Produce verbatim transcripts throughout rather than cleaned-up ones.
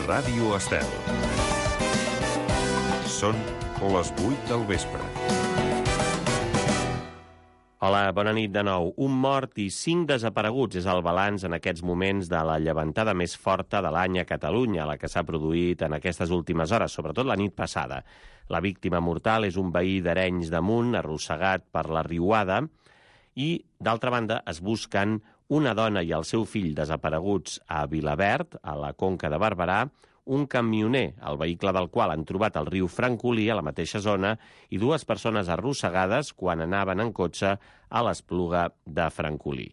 Ràdio Estel. Són les vuit del vespre. Hola, bona nit de nou. Un mort i cinc desapareguts és el balanç en aquests moments de la llevantada més forta de l'any a Catalunya, la que s'ha produït en aquestes últimes hores, sobretot la nit passada. La víctima mortal és un veí d'Arenys de Munt, arrossegat per la riuada, i, d'altra banda, es busquen una dona i el seu fill desapareguts a Vilaverd, a la Conca de Barberà, un camioner, el vehicle del qual han trobat al riu Francolí, a la mateixa zona, i dues persones arrossegades quan anaven en cotxe a l'Espluga de Francolí.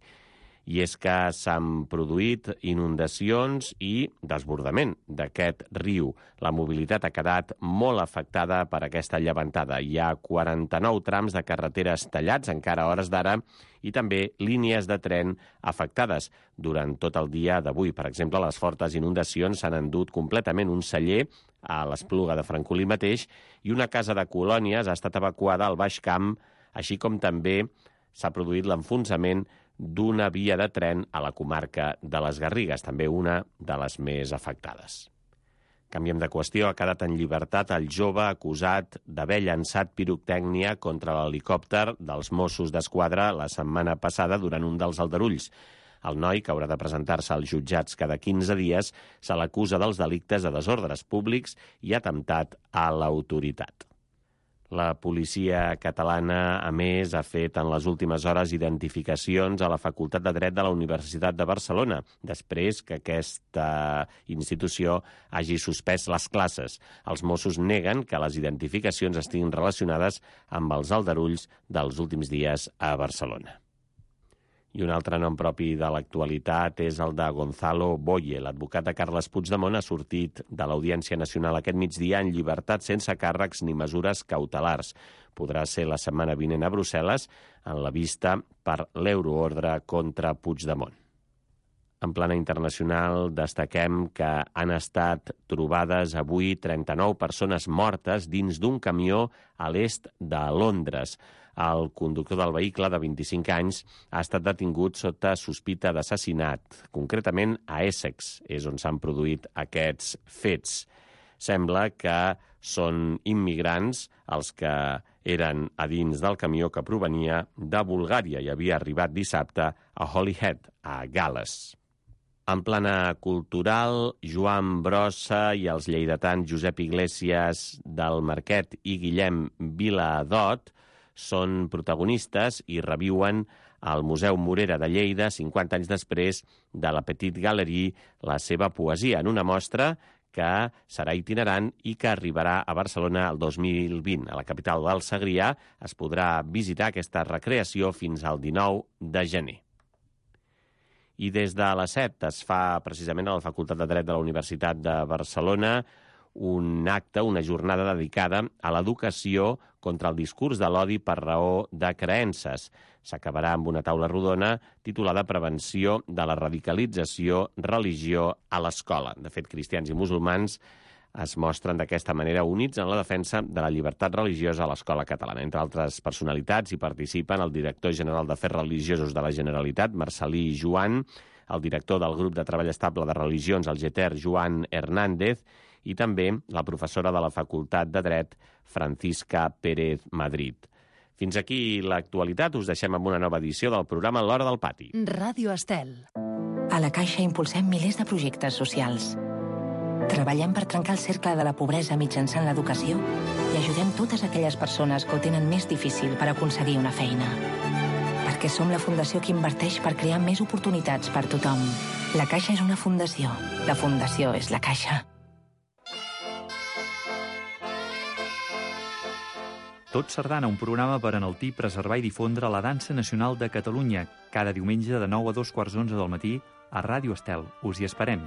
I és que s'han produït inundacions i desbordament d'aquest riu. La mobilitat ha quedat molt afectada per aquesta llevantada. Hi ha quaranta-nou trams de carreteres tallats, encara a hores d'ara, i també línies de tren afectades durant tot el dia d'avui. Per exemple, les fortes inundacions s'han endut completament un celler a l'Espluga de Francolí mateix i una casa de colònies ha estat evacuada al Baix Camp, així com també s'ha produït l'enfonsament d'una via de tren a la comarca de les Garrigues, també una de les més afectades. Canviem de qüestió. Ha quedat en llibertat el jove acusat d'haver llançat pirotècnia contra l'helicòpter dels Mossos d'Esquadra la setmana passada durant un dels aldarulls. El noi, que haurà de presentar-se als jutjats cada quinze dies, se l'acusa dels delictes de desordres públics i atemptat a l'autoritat. La policia catalana, a més, ha fet en les últimes hores identificacions a la Facultat de Dret de la Universitat de Barcelona, després que aquesta institució hagi suspès les classes. Els Mossos neguen que les identificacions estiguin relacionades amb els aldarulls dels últims dies a Barcelona. I un altre nom propi de l'actualitat és el de Gonzalo Boye. L'advocat de Carles Puigdemont ha sortit de l'Audiència Nacional aquest migdia en llibertat sense càrrecs ni mesures cautelars. Podrà ser la setmana vinent a Brussel·les en la vista per l'euroordre contra Puigdemont. En plana internacional, destaquem que han estat trobades avui trenta-nou persones mortes dins d'un camió a l'est de Londres. El conductor del vehicle, de vint-i-cinc anys, ha estat detingut sota sospita d'assassinat. Concretament a Essex, és on s'han produït aquests fets. Sembla que són immigrants els que eren a dins del camió que provenia de Bulgària i havia arribat dissabte a Holyhead, a Gal·les. En plana cultural, Joan Brossa i els lleidatans Josep Iglesias del Marquet i Guillem Viladot són protagonistes i reviuen al Museu Morera de Lleida, cinquanta anys després de la Petite Galerie, la seva poesia, en una mostra que serà itinerant i que arribarà a Barcelona el dos mil vint. A la capital del Segrià es podrà visitar aquesta recreació fins al dinou de gener. I des de les set es fa precisament a la Facultat de Dret de la Universitat de Barcelona un acte, una jornada dedicada a l'educació contra el discurs de l'odi per raó de creences. S'acabarà amb una taula rodona titulada Prevenció de la radicalització religió a l'escola. De fet, cristians i musulmans es mostren d'aquesta manera units en la defensa de la llibertat religiosa a l'escola catalana. Entre altres personalitats hi participen el director general d'Afers Religiosos de la Generalitat, Marcelí Joan, el director del grup de treball estable de religions, el GETER, Joan Hernández, i també la professora de la Facultat de Dret, Francisca Pérez Madrid. Fins aquí l'actualitat. Us deixem amb una nova edició del programa L'Hora del Pati. Ràdio Estel. A la Caixa impulsem milers de projectes socials. Treballem per trencar el cercle de la pobresa mitjançant l'educació i ajudem totes aquelles persones que ho tenen més difícil per aconseguir una feina. Perquè som la fundació que inverteix per crear més oportunitats per tothom. La Caixa és una fundació. La fundació és la Caixa. Tot Sardana, un programa per enaltir, preservar i difondre la dansa nacional de Catalunya, cada diumenge de nou a dos quarts d'onze del matí a Ràdio Estel. Us hi esperem.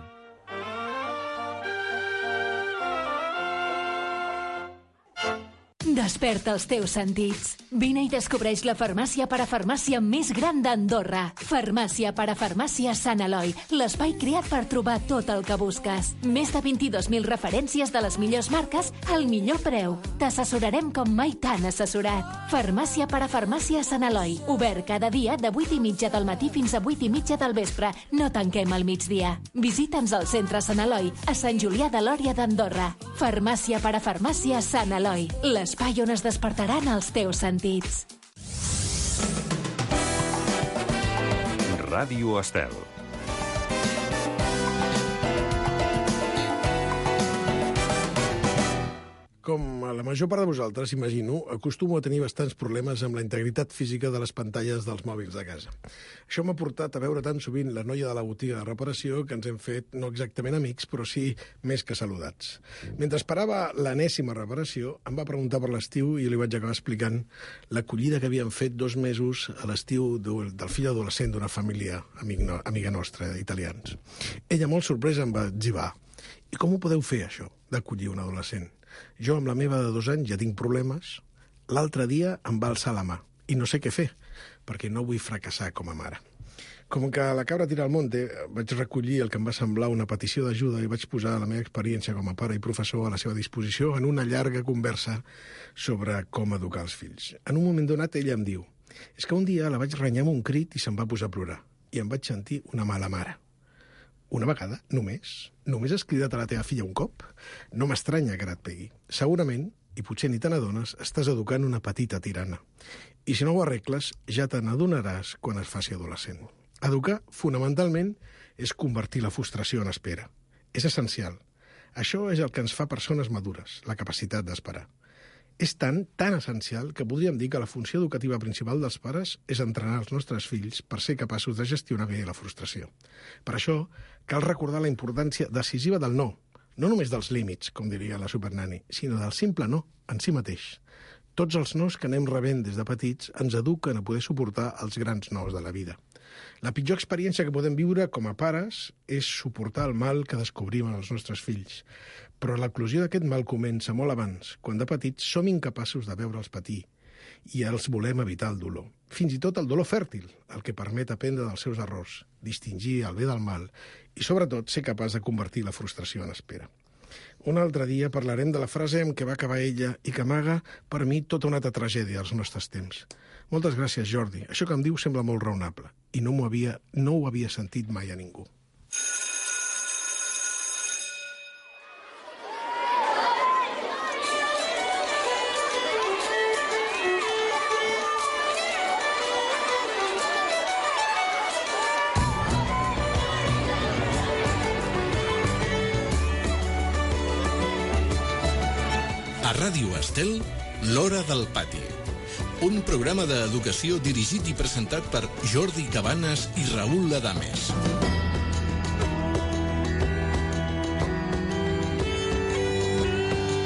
Desperta els teus sentits. Vine i descobreix la farmàcia parafarmàcia més gran d'Andorra. Farmàcia parafarmàcia Sant Eloi, l'espai creat per trobar tot el que busques. Més de vint-i-dos mil referències de les millors marques al millor preu. T'assessorarem com mai t'han assessorat. Farmàcia parafarmàcia Sant Eloi, obert cada dia de vuit i mitja del matí fins a vuit i mitja del vespre. No tanquem al migdia. Visita'ns al centre Sant Eloi, a Sant Julià de Lòria d'Andorra. Farmàcia parafarmàcia Sant Eloi, l'espai on es despertaran els teus sentits. Ràdio Estel. Com la major part de vosaltres, imagino, acostumo a tenir bastants problemes amb la integritat física de les pantalles dels mòbils de casa. Això m'ha portat a veure tan sovint la noia de la botiga de reparació que ens hem fet no exactament amics, però sí més que saludats. Mentre esperava l'enèsima reparació, em va preguntar per l'estiu i li vaig acabar explicant l'acollida que havien fet dos mesos a l'estiu del fill adolescent d'una família amiga nostra, italians. Ella, molt sorpresa, em va etzibar. I com ho podeu fer, això, d'acollir un adolescent? Jo, amb la meva de dos anys, ja tinc problemes. L'altre dia em va alçar la mà i no sé què fer, perquè no vull fracassar com a mare. Com que la cabra tira al monte, vaig recollir el que em va semblar una petició d'ajuda i vaig posar la meva experiència com a pare i professor a la seva disposició en una llarga conversa sobre com educar els fills. En un moment donat, ella em diu: és que un dia la vaig renyar amb un crit i se'n va posar a plorar, i em vaig sentir una mala mare. Una vegada, només? Només has cridat a la teva filla un cop? No m'estranya que ara et pegui. Segurament, i potser ni te n'adones, estàs educant una petita tirana. I si no ho arregles, ja te n'adonaràs quan es faci adolescent. Educar, fonamentalment, és convertir la frustració en espera. És essencial. Això és el que ens fa persones madures, la capacitat d'esperar. És tan, tan essencial que podríem dir que la funció educativa principal dels pares és entrenar els nostres fills per ser capaços de gestionar bé la frustració. Per això, cal recordar la importància decisiva del no, no només dels límits, com diria la supernani, sinó del simple no, en si mateix. Tots els nos que anem rebent des de petits ens eduquen a poder suportar els grans nos de la vida. La pitjor experiència que podem viure com a pares és suportar el mal que descobrim en els nostres fills. Però l'eclosió d'aquest mal comença molt abans, quan de petits som incapaços de veure'ls patir i els volem evitar el dolor. Fins i tot el dolor fèrtil, el que permet aprendre dels seus errors, distingir el bé del mal i, sobretot, ser capaç de convertir la frustració en espera. Un altre dia parlarem de la frase amb què va acabar ella i que amaga, per mi, tota una altra tragèdia als nostres temps. Moltes gràcies, Jordi. Això que em diu sembla molt raonable i no, m'ho havia, no ho havia sentit mai a ningú. A Ràdio Estel, l'Hora del Pati. Un programa d'educació dirigit i presentat per Jordi Cabanes i Raül Adames.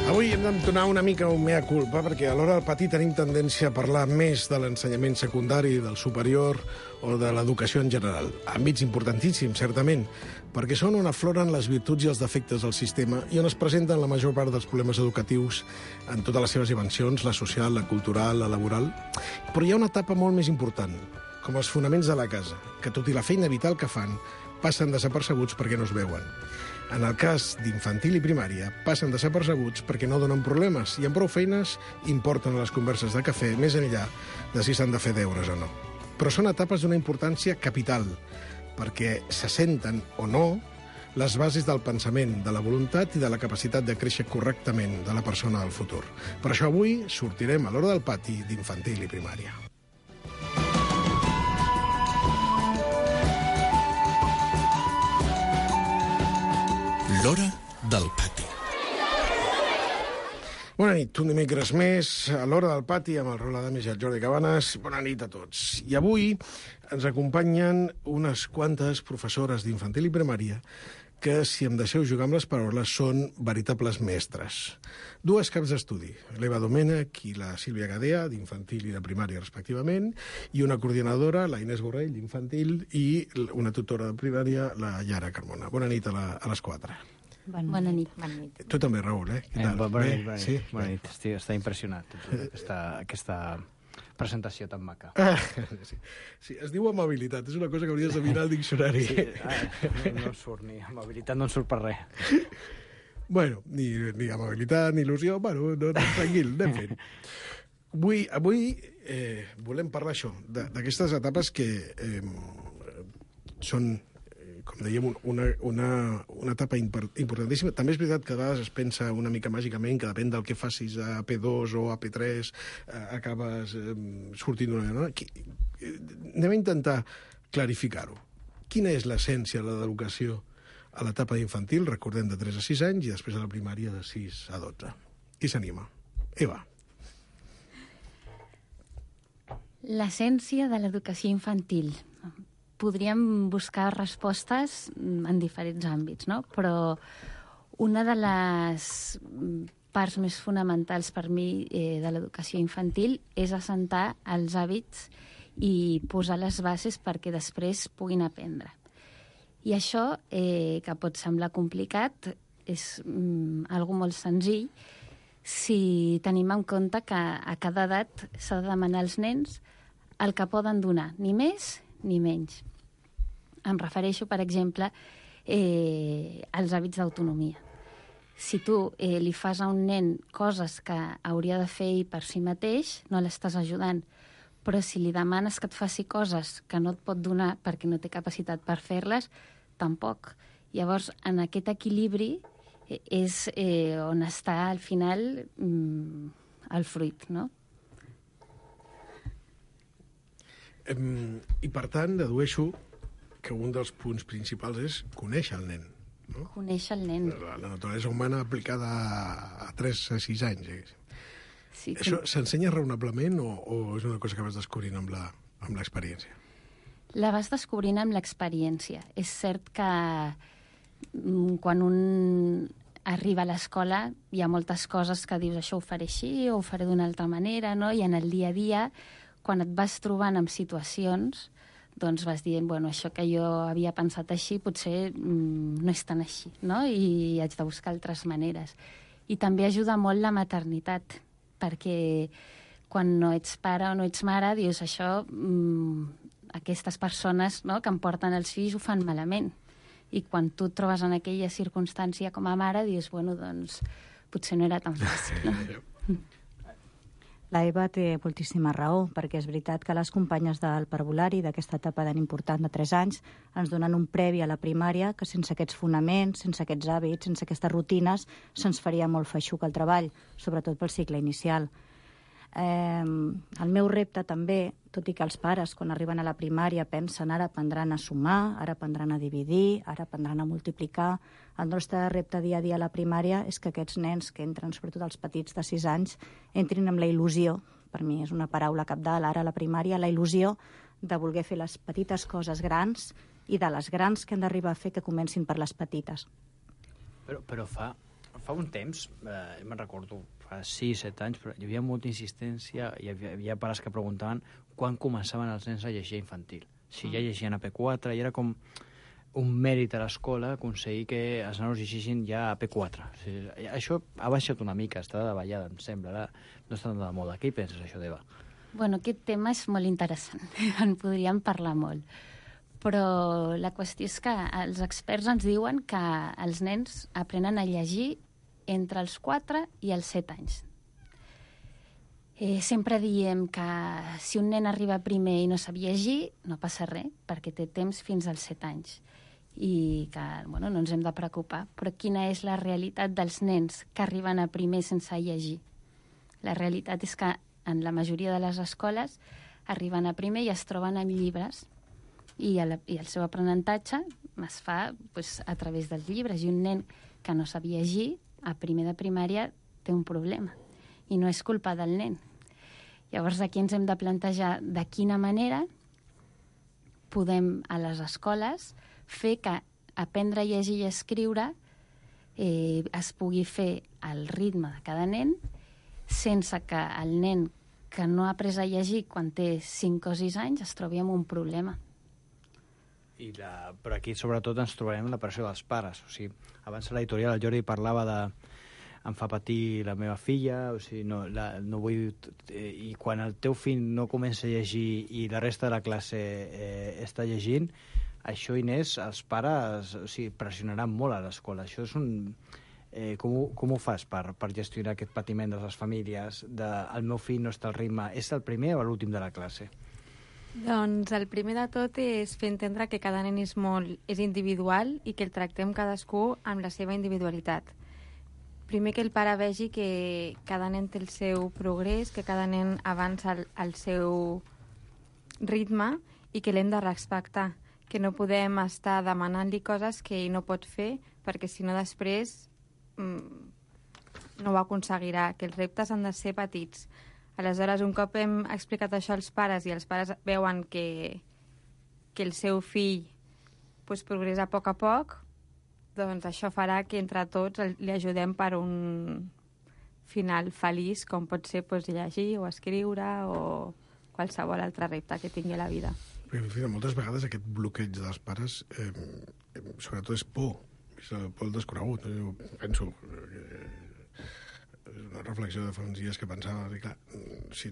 Avui hem d'entonar una mica un mea culpa perquè a l'Hora del Pati tenim tendència a parlar més de l'ensenyament secundari, del superior o de l'educació en general. Àmbits importantíssims, certament, perquè són on afloren les virtuts i els defectes del sistema i on es presenten la major part dels problemes educatius en totes les seves dimensions, la social, la cultural, la laboral. Però hi ha una etapa molt més important, com els fonaments de la casa, que tot i la feina vital que fan, passen desapercebuts perquè no es veuen. En el cas d'infantil i primària, passen desapercebuts perquè no donen problemes i amb prou feines importen a les converses de cafè més enllà de si s'han de fer deures o no. Però són etapes d'una importància capital, perquè s'assenten o no les bases del pensament, de la voluntat i de la capacitat de créixer correctament de la persona del futur. Per això avui sortirem a l'Hora del Pati d'infantil i primària. L'Hora del Pati. Bona nit, un dimecres més a l'Hora del Pati amb el Raül Adames i el Jordi Cabanes. Bona nit a tots. I avui ens acompanyen unes quantes professores d'infantil i primària que, si em deixeu jugar amb les paraules, són veritables mestres. Dues caps d'estudi, l'Eva Domènech i la Sílvia Gadea, d'infantil i de primària respectivament, i una coordinadora, la Inés Borrell, d'infantil, i una tutora de primària, la Yara Carmona. Bona nit a, la, a les quatre. Bona nit. Bona nit. Tu també, Raül, eh? Què Eh, tal? bona Bé? nit, bona nit. Sí? Bona nit. Estic, està impressionat aquesta, aquesta presentació tan maca. Ah, sí. sí, es diu amabilitat, és una cosa que hauries de mirar al diccionari. Sí, ah, no, no en surt ni amabilitat, no en surt per res. Bueno, ni, ni amabilitat, ni il·lusió, bueno, no, no, tranquil, anem fent. Avui, avui eh, volem parlar això, de- d'aquestes etapes que eh, són, eh, com dèiem, un- una, una, una etapa impor- importantíssima. També és veritat que a vegades es pensa una mica màgicament que depèn del que facis a P dos o a P tres, eh, acabes eh, sortint d'una... No? Qui- eh, Anem a intentar clarificar-ho. Quina és l'essència de l'educació a l'etapa infantil, recordem, de tres a sis anys, i després a la primària de sis a dotze. Qui s'anima? Eva. L'essència de l'educació infantil. Podríem buscar respostes en diferents àmbits, no? Però una de les parts més fonamentals per mi eh, de l'educació infantil és assentar els hàbits i posar les bases perquè després puguin aprendre. I això, eh, que pot semblar complicat, és mm, algo molt senzill si tenim en compte que a cada edat s'ha de demanar als nens el que poden donar, ni més ni menys. Em refereixo, per exemple, eh, als hàbits d'autonomia. Si tu eh, li fas a un nen coses que hauria de fer ell per si mateix, no l'estàs ajudant. Però si li demanes que et faci coses que no et pot donar perquè no té capacitat per fer-les, tampoc. Llavors, en aquest equilibri eh, és eh, on està, al final, mm, el fruit, no? Em, I, per tant, dedueixo que un dels punts principals és conèixer el nen. No? Conèixer el nen. La, la naturalesa humana aplicada a tres a sis anys. Eh? Sí, Això s'ensenya raonablement o, o és una cosa que vas descobrint amb la- amb l'experiència? La vas descobrint amb l'experiència. És cert que mm, quan un arriba a l'escola hi ha moltes coses que dius això ho faré així o ho faré d'una altra manera, no? I en el dia a dia, quan et vas trobant en situacions, doncs vas dient, bueno, això que jo havia pensat així potser mm, no és tan així, no? I haig de buscar altres maneres. I també ajuda molt la maternitat, perquè quan no ets pare o no ets mare, dius això, mmm, aquestes persones, no?, que em porten els fills ho fan malament. I quan tu et trobes en aquella circumstància com a mare, dius, bueno, doncs potser no era tan fàcil, no? La Eva té moltíssima raó, perquè és veritat que les companyes del parvulari d'aquesta etapa tan important de tres anys ens donen un previ a la primària que sense aquests fonaments, sense aquests hàbits, sense aquestes rutines, se'ns faria molt feixuc el treball, sobretot pel cicle inicial. Eh, el meu repte també, tot i que els pares quan arriben a la primària pensen ara aprendran a sumar, ara aprendran a dividir, ara aprendran a multiplicar, el nostre repte dia a dia a la primària és que aquests nens que entren, sobretot els petits de sis anys, entrin amb la il·lusió, per mi és una paraula cabdal ara a la primària, la il·lusió de voler fer les petites coses grans i de les grans que han d'arribar a fer que comencin per les petites. Però, però fa, fa un temps, eh, me'n recordo, fa sis, set anys, però hi havia molta insistència, hi havia, hi havia pares que preguntaven quan començaven els nens a llegir a infantil. Si ja llegien a P quatre, i era com un mèrit a l'escola aconseguir que els nanos llegeixin ja a P quatre. O sigui, això ha baixat una mica, està de ballada, em sembla. Ara no està de moda. Què hi penses, això, d'Eva? Bueno, aquest tema és molt interessant. En podríem parlar molt. Però la qüestió és que els experts ens diuen que els nens aprenen a llegir entre els quatre i els set anys. Eh, sempre diem que si un nen arriba primer i no sap llegir, no passa res, perquè té temps fins als set anys. I que, bueno, no ens hem de preocupar. Però quina és la realitat dels nens que arriben a primer sense llegir? La realitat és que en la majoria de les escoles arriben a primer i es troben amb llibres i el, i el seu aprenentatge es fa pues, a través dels llibres. I un nen que no sap llegir a primer de primària té un problema i no és culpa del nen. Llavors aquí ens hem de plantejar de quina manera podem a les escoles fer que aprendre a llegir i escriure eh, es pugui fer al ritme de cada nen sense que el nen que no ha après a llegir quan té cinc o sis anys es trobi amb un problema. I la, però aquí sobretot ens trobarem la pressió dels pares. O sigui, abans a l'editorial el Jordi parlava de em fa patir la meva filla, o sigui, no, la, no vull... Eh, I quan el teu fill no comença a llegir i la resta de la classe eh, està llegint, això, Inés, els pares o sigui, pressionaran molt a l'escola. Això és un... Eh, com, ho, com ho fas per, per gestionar aquest patiment de les famílies? De, el meu fill no està al ritme. És el primer o l'últim de la classe? Doncs el primer de tot és fer entendre que cada nen és, molt, és individual i que el tractem cadascú amb la seva individualitat. Primer que el pare vegi que cada nen té el seu progrés, que cada nen avança al, al seu ritme i que l'hem de respectar, que no podem estar demanant-li coses que ell no pot fer perquè si no després mmm, no ho aconseguirà, que els reptes han de ser petits. Aleshores, un cop hem explicat això als pares i els pares veuen que, que el seu fill pues, progressa a poc a poc, doncs això farà que entre tots li ajudem per un final feliç, com pot ser pues, llegir o escriure o qualsevol altre repte que tingui a la vida. Perquè, moltes vegades aquest bloqueig dels pares eh, sobretot és por, és el por al desconegut. Jo penso... Eh, una reflexió de fa uns dies que pensava, i clar, si,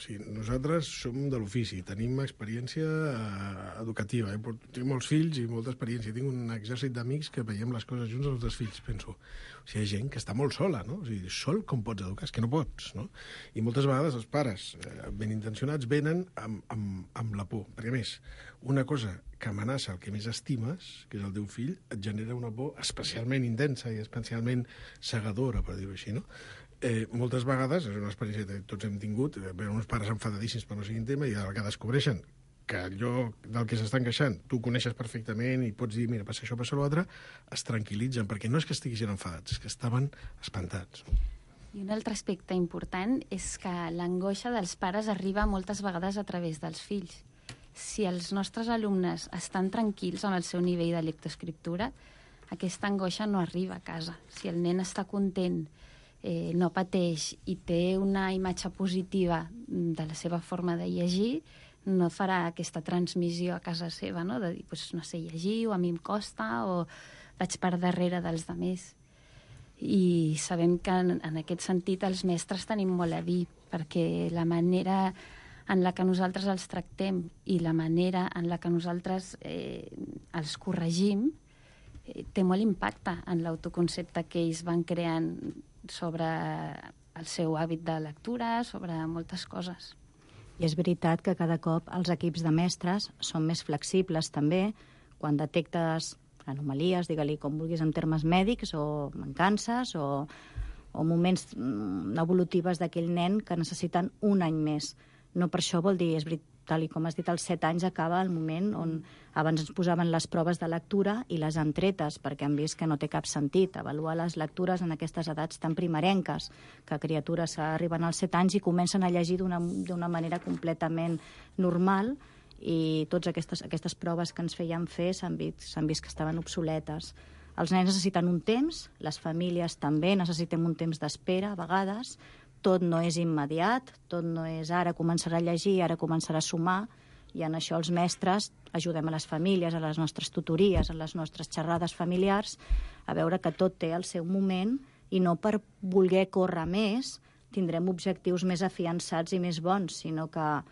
si nosaltres som de l'ofici, tenim experiència eh, educativa, eh? Tinc molts fills i molta experiència, tinc un exèrcit d'amics que veiem les coses junts als nostres fills, penso, o sigui, hi ha gent que està molt sola, no? O sigui, sol com pots educar? És que no pots, no? I moltes vegades els pares, eh, ben intencionats, venen amb, amb, amb la por, perquè a més, una cosa que amenaça el que més estimes, que és el teu fill, et genera una por especialment intensa i especialment cegadora, per dir-ho així, no? Eh, moltes vegades, és una experiència que tots hem tingut, eh, veure uns pares enfadadíssims per no sigui un tema i a la que descobreixen que allò del que s'estan queixant tu coneixes perfectament i pots dir, mira, passa això, passa l'altre, es tranquil·litzen, perquè no és que estiguin enfadats, és que estaven espantats. No? I un altre aspecte important és que l'angoixa dels pares arriba moltes vegades a través dels fills. Si els nostres alumnes estan tranquils amb el seu nivell de lectoescriptura, aquesta angoixa no arriba a casa. Si el nen està content, eh, no pateix i té una imatge positiva de la seva forma de llegir, no farà aquesta transmissió a casa seva, no? De dir, pues, no sé llegir, o a mi em costa, o vaig per darrere dels altres. I sabem que en, en aquest sentit els mestres tenim molt a dir, perquè la manera en la que nosaltres els tractem i la manera en la que nosaltres eh, els corregim eh, té molt impacte en l'autoconcepte que ells van creant sobre el seu hàbit de lectura, sobre moltes coses. I és veritat que cada cop els equips de mestres són més flexibles també quan detectes anomalies, digue-li com vulguis en termes mèdics o mancances o, o moments evolutives d'aquell nen que necessiten un any més. No per això vol dir, és veritat, tal com has dit, als set anys acaba el moment on abans ens posaven les proves de lectura i les han tretes, perquè han vist que no té cap sentit avaluar les lectures en aquestes edats tan primerenques, que criatures arriben als set anys i comencen a llegir d'una manera completament normal i totes aquestes, aquestes proves que ens feien fer s'han vist, s'han vist que estaven obsoletes. Els nens necessiten un temps, les famílies també necessitem un temps d'espera a vegades. Tot no és immediat, tot no és ara començarà a llegir, ara començarà a sumar, i en això els mestres ajudem a les famílies, a les nostres tutories, a les nostres xerrades familiars, a veure que tot té el seu moment i no per voler córrer més tindrem objectius més afiançats i més bons, sinó que a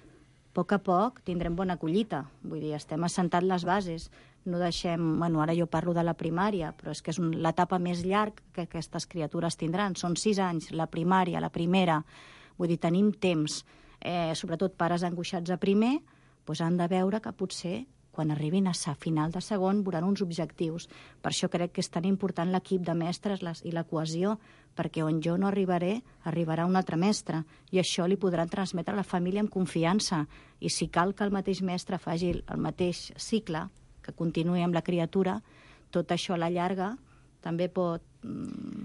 poc a poc tindrem bona collita. Vull dir, estem assentant les bases. No deixem... Bueno, ara jo parlo de la primària, però és que és un, l'etapa més llarga que aquestes criatures tindran. Són sis anys, la primària, la primera. Vull dir, tenim temps. Eh, sobretot pares angoixats a primer, doncs han de veure que potser quan arribin a sa final de segon veuran uns objectius. Per això crec que és tan important l'equip de mestres les, i la cohesió, perquè on jo no arribaré, arribarà un altre mestre, i això li podran transmetre a la família amb confiança. I si cal que el mateix mestre faci el mateix cicle, que continuï amb la criatura, tot això a la llarga també pot...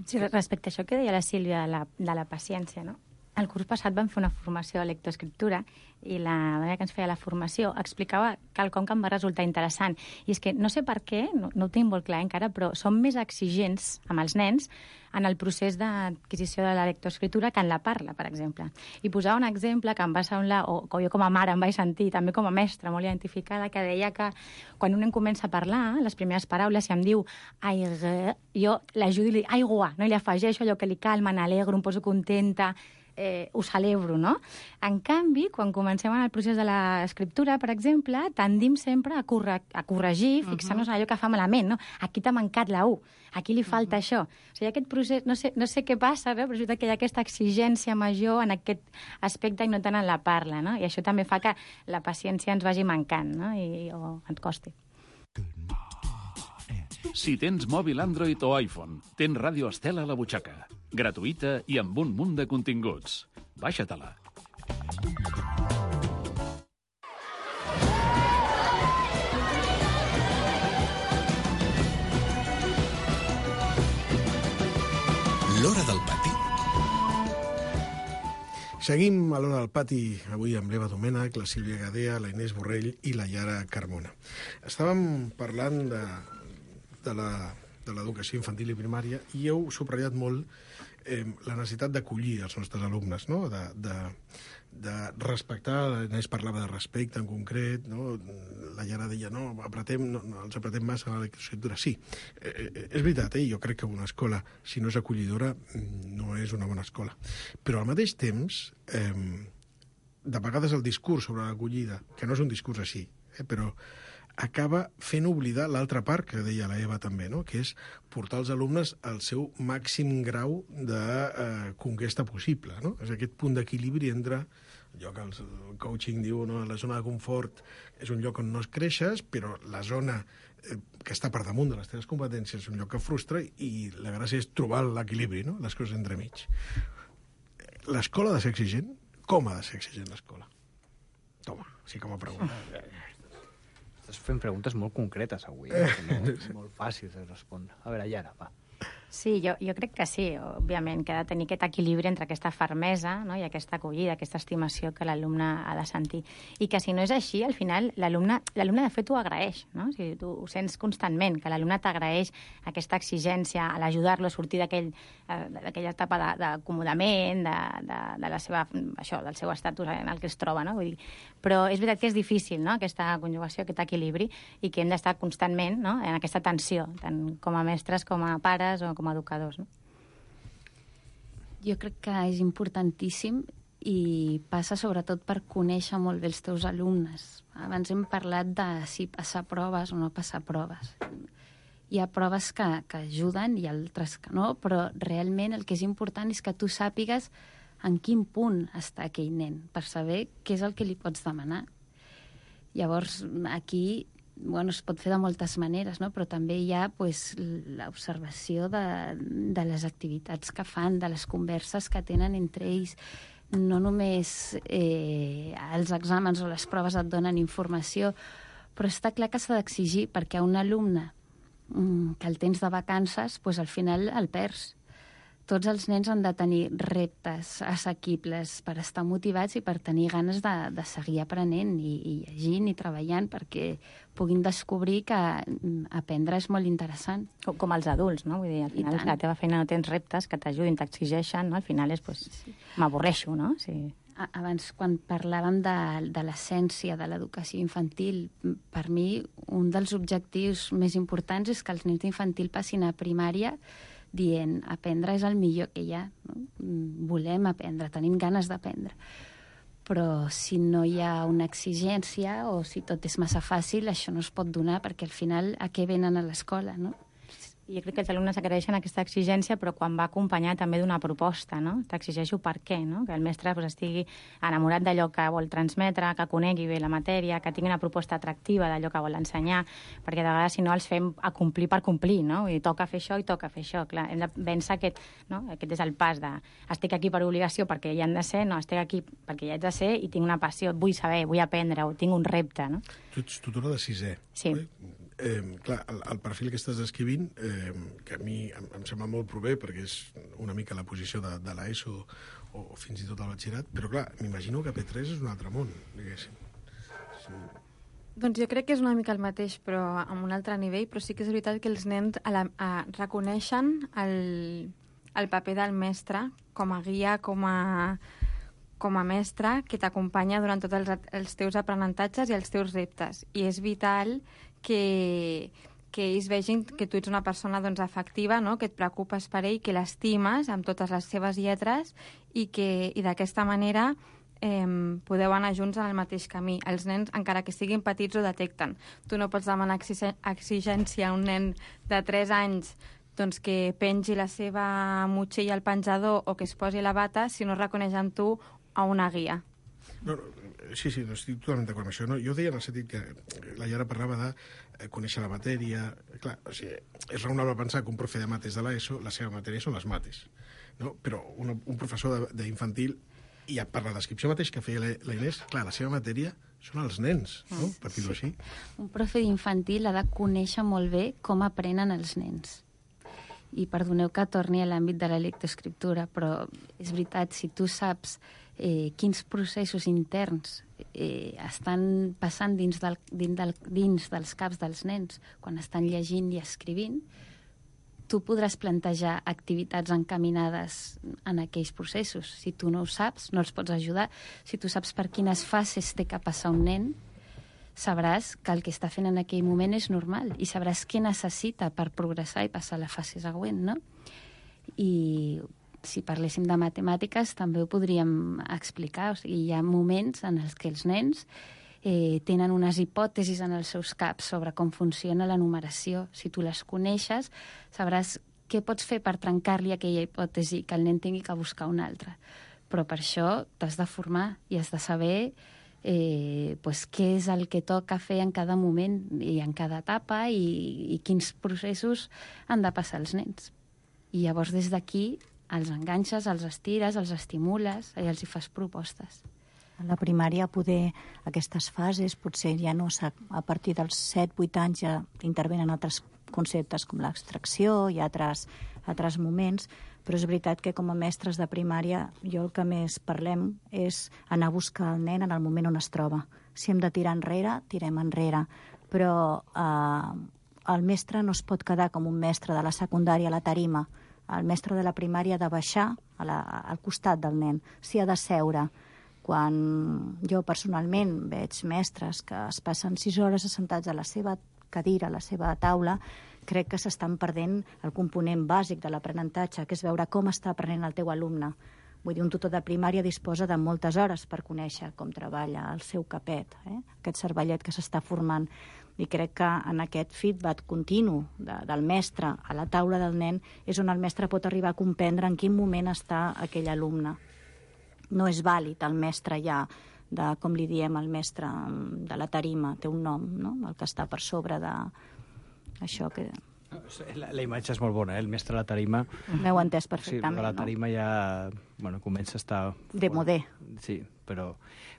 Sí, respecte a això que deia la Sílvia de la, de la paciència, no? el curs passat vam fer una formació de lectoescriptura i la dona que ens feia la formació explicava quelcom que em va resultar interessant. I és que no sé per què, no, no ho tinc molt clar encara, però som més exigents amb els nens en el procés d'adquisició de la lectoescriptura que en la parla, per exemple. I posava un exemple que em va semblar, o que jo com a mare em vaig sentir, també com a mestra molt identificada, que deia que quan un nen comença a parlar, les primeres paraules, si em diu aigua, jo l'ajudo i li dic aigua, no? I li afegeixo allò que li calma, m'alegro, em poso contenta, Eh, ho celebro, no? En canvi, quan comencem en el procés de l'escriptura, per exemple, tendim sempre a, corre a corregir, fixar-nos en allò que fa malament, no? Aquí t'ha mancat la U, aquí li falta uh -huh. això. O sigui, aquest procés, no sé, no sé què passa, no? Però és veritat que hi ha aquesta exigència major en aquest aspecte i no tant en la parla, no? I això també fa que la paciència ens vagi mancant, no? I, o ens costi. Si tens mòbil Android o iPhone, tens Ràdio Estel a la butxaca. Gratuïta i amb un munt de continguts. Baixa-te-la. L'Hora del Pati. Seguim a l'Hora del Pati, avui amb l'Eva Domènech, la Sílvia Gadea, la Inés Borrell i la Yara Carmona. Estàvem parlant de, de la... de l'educació infantil i primària, i heu subratllat molt eh, la necessitat d'acollir els nostres alumnes, no? de, de, de respectar, l'Inés parlava de respecte en concret, no? La Yara deia, no, apretem, no, no els apretem massa a la lectoescriptura. Sí, eh, eh, és veritat, eh? Jo crec que una escola, si no és acollidora, no és una bona escola. Però al mateix temps, eh, de vegades el discurs sobre l'acollida, que no és un discurs així, eh, però acaba fent oblidar l'altra part que deia la Eva també, no? Que és portar els alumnes al seu màxim grau de eh, conquesta possible, no? És aquest punt d'equilibri entre allò que el coaching diu, no? La zona de confort és un lloc on no es creixes, però la zona eh, que està per damunt de les teves competències és un lloc que frustra, i la gràcia és trobar l'equilibri, no? Les coses entremig. L'escola ha de ser exigent? Com ha de ser exigent l'escola? Toma, sí, com a pregunta. Estàs fent preguntes molt concretes avui, eh? No, molt fàcils de respondre. A veure, Yara, va. Sí, jo, jo crec que sí, òbviament, que ha de tenir aquest equilibri entre aquesta fermesa, no? I aquesta acollida, aquesta estimació que l'alumne ha de sentir. I que si no és així, al final, l'alumne l'alumne de fet ho agraeix, no? O sigui, tu ho sents constantment, que l'alumne t'agraeix aquesta exigència a l'ajudar-lo a sortir d'aquell eh, d'aquella etapa d'acomodament, de, de, de la seva, això, del seu estatus en el que es troba, no? Vull dir, però és veritat que és difícil, no?, aquesta conjugació, aquest equilibri, i que hem d'estar constantment, no?, en aquesta tensió, tant com a mestres com a pares o com a educadors, no? Jo crec que és importantíssim i passa sobretot per conèixer molt bé els teus alumnes. Abans hem parlat de si passar proves o no passar proves. Hi ha proves que, que ajuden i altres que no, però realment el que és important és que tu sàpigues en quin punt està aquell nen, per saber què és el que li pots demanar. Llavors, aquí bueno, es pot fer de moltes maneres, no? Però també hi ha pues, l'observació de, de les activitats que fan, de les converses que tenen entre ells. No només eh, els exàmens o les proves et donen informació, però està clar que s'ha d'exigir, perquè a un alumne mm, que el tens de vacances, pues, al final el perds. Tots els nens han de tenir reptes assequibles per estar motivats i per tenir ganes de, de seguir aprenent i, i llegint i treballant, perquè puguin descobrir que aprendre és molt interessant. Com, com els adults, no? Vull dir, al final la teva feina no tens reptes que t'ajudin, t'exigeixen, no? Al final és, pues, sí. M'avorreixo, no? Sí. Abans, quan parlàvem de, de l'essència de l'educació infantil, per mi un dels objectius més importants és que els nens d'infantil passin a primària dient, aprendre és el millor que hi ha, no? Volem aprendre, tenim ganes d'aprendre. Però si no hi ha una exigència o si tot és massa fàcil, això no es pot donar, perquè al final a què venen a l'escola, no? I jo crec que els alumnes agraeixen aquesta exigència, però quan va acompanyar també d'una proposta, no? T'exigeixo per què, no? Que el mestre pues, estigui enamorat d'allò que vol transmetre, que conegui bé la matèria, que tingui una proposta atractiva d'allò que vol ensenyar, perquè de vegades si no els fem a complir per complir, no? I toca fer això i toca fer això. Clar, hem de vèncer aquest, no? Aquest és el pas de estic aquí per obligació perquè hi han de ser, no, estic aquí perquè hi haig de ser i tinc una passió, vull saber, vull aprendre, o tinc un repte, no? Tu ets tutora de sisè. Sí. Eh? Eh, clar, el, el perfil que estàs descrivint, eh, que a mi em, em sembla molt prové, perquè és una mica la posició de, de l'ESO o, o fins i tot el batxillerat, però clar, m'imagino que P tres és un altre món, diguéssim. Sí. Doncs jo crec que és una mica el mateix, però amb un altre nivell, però sí que és veritat que els nens a la, a, reconeixen el, el paper del mestre com a guia, com a, com a mestre que t'acompanya durant tots els, els teus aprenentatges i els teus reptes. I és vital que, que ells vegin que tu ets una persona doncs, afectiva, no? Que et preocupes per ell, que l'estimes amb totes les seves lletres i que i d'aquesta manera eh, podeu anar junts en el mateix camí. Els nens, encara que siguin petits, ho detecten. Tu no pots demanar exigència a un nen de tres anys doncs, que pengi la seva motxilla al penjador o que es posi la bata si no reconeix en tu a una guia. No, no, sí, sí, no estic totalment d'acord amb això. No, jo deia en el sentit que la Iara parlava de eh, conèixer la matèria. Clar, o sigui, és raonable pensar que un profe de mates de l'ESO, la seva matèria són les mates. No? Però un, un professor d'infantil, i per la descripció mateix que feia la Inés, clar, la seva matèria són els nens, no? Per dir-ho així. Un profe d'infantil ha de conèixer molt bé com aprenen els nens. I perdoneu que torni a l'àmbit de la lectoescriptura, però és veritat, si tu saps eh, quins processos interns eh, estan passant dins, del, dins, del, dins dels caps dels nens quan estan llegint i escrivint, tu podràs plantejar activitats encaminades en aquells processos. Si tu no ho saps, no els pots ajudar. Si tu saps per quines fases té que passar un nen, sabràs que el que està fent en aquell moment és normal i sabràs què necessita per progressar i passar a la fase següent, no? I si parléssim de matemàtiques també ho podríem explicar. O sigui, hi ha moments en els que els nens eh, tenen unes hipòtesis en els seus caps sobre com funciona la numeració. Si tu les coneixes, sabràs què pots fer per trencar-li aquella hipòtesi que el nen tingui que buscar una altra. Però per això t'has de formar i has de saber Eh, pues, què és el que toca fer en cada moment i en cada etapa i, i quins processos han de passar els nens. I llavors des d'aquí els enganxes, els estires, els estimules i els hi fas propostes. A la primària poder aquestes fases, potser ja no a partir dels set vuit anys ja intervenen altres conceptes com l'extracció i altres, altres moments, però és veritat que com a mestres de primària jo el que més parlem és anar a buscar el nen en el moment on es troba. Si hem de tirar enrere, tirem enrere, però eh, el mestre no es pot quedar com un mestre de la secundària a la tarima. El mestre de la primària ha de baixar a la, al costat del nen, s'hi ha de seure. Quan jo personalment veig mestres que es passen sis hores assentats a la seva cadira, a la seva taula, crec que s'estan perdent el component bàsic de l'aprenentatge, que és veure com està aprenent el teu alumne. Vull dir, un tutor de primària disposa de moltes hores per conèixer com treballa el seu capet, eh? Aquest cervellet que s'està formant. I crec que en aquest feedback continu de, del mestre a la taula del nen és on el mestre pot arribar a comprendre en quin moment està aquell alumne. No és vàlid el mestre ja, de, com li diem el mestre de la tarima, té un nom, no? El que està per sobre de això que... La, la imatge és molt bona, eh? El mestre de la tarima... M'heu entès perfectament, sí, la tarima no? ja bueno, comença a estar... De modé. Sí, però,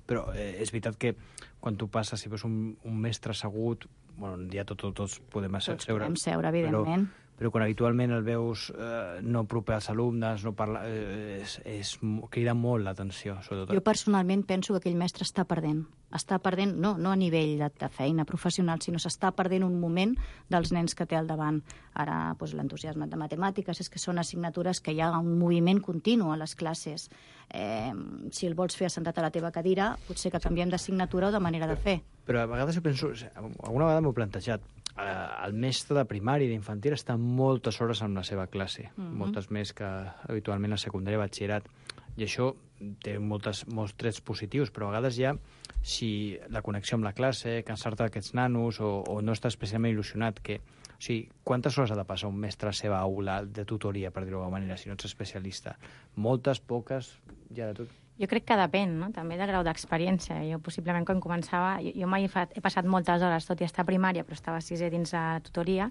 però eh, és veritat que quan tu passes, si veus un, un mestre assegut, bueno, ja tot, tot, tots podem seure. Tots podem seure, evidentment. Però, però quan habitualment el veus eh, no proper als alumnes, no parla, eh, és, és, crida molt l'atenció, sobretot. Jo personalment penso que aquell mestre està perdent. Està perdent, no, no a nivell de, de feina professional, sinó s'està perdent un moment dels nens que té al davant. Ara, doncs, l'entusiasme de matemàtiques és que són assignatures que hi ha un moviment continu a les classes. Eh, si el vols fer assentat a la teva cadira, potser que canviem d'assignatura o de manera de fer. Però a vegades jo penso, alguna vegada m'ho he plantejat, el mestre de primària i d'infantil està moltes hores en la seva classe, mm-hmm. moltes més que habitualment a secundària i batxillerat, i això té moltes, molts trets positius, però a vegades ja, si la connexió amb la classe, cansar-te d'aquests nanos, o, o no estàs especialment il·lusionat, que, o sigui, quantes hores ha de passar un mestre a la seva aula de tutoria, per dir-ho d'alguna manera, si no ets especialista? Moltes, poques, ja de tot. Jo crec que depèn, no? També del grau d'experiència. Jo, possiblement, quan començava... Jo, jo mai he, fa, he passat moltes hores, tot i estar a primària, però estava a sisè dins la tutoria,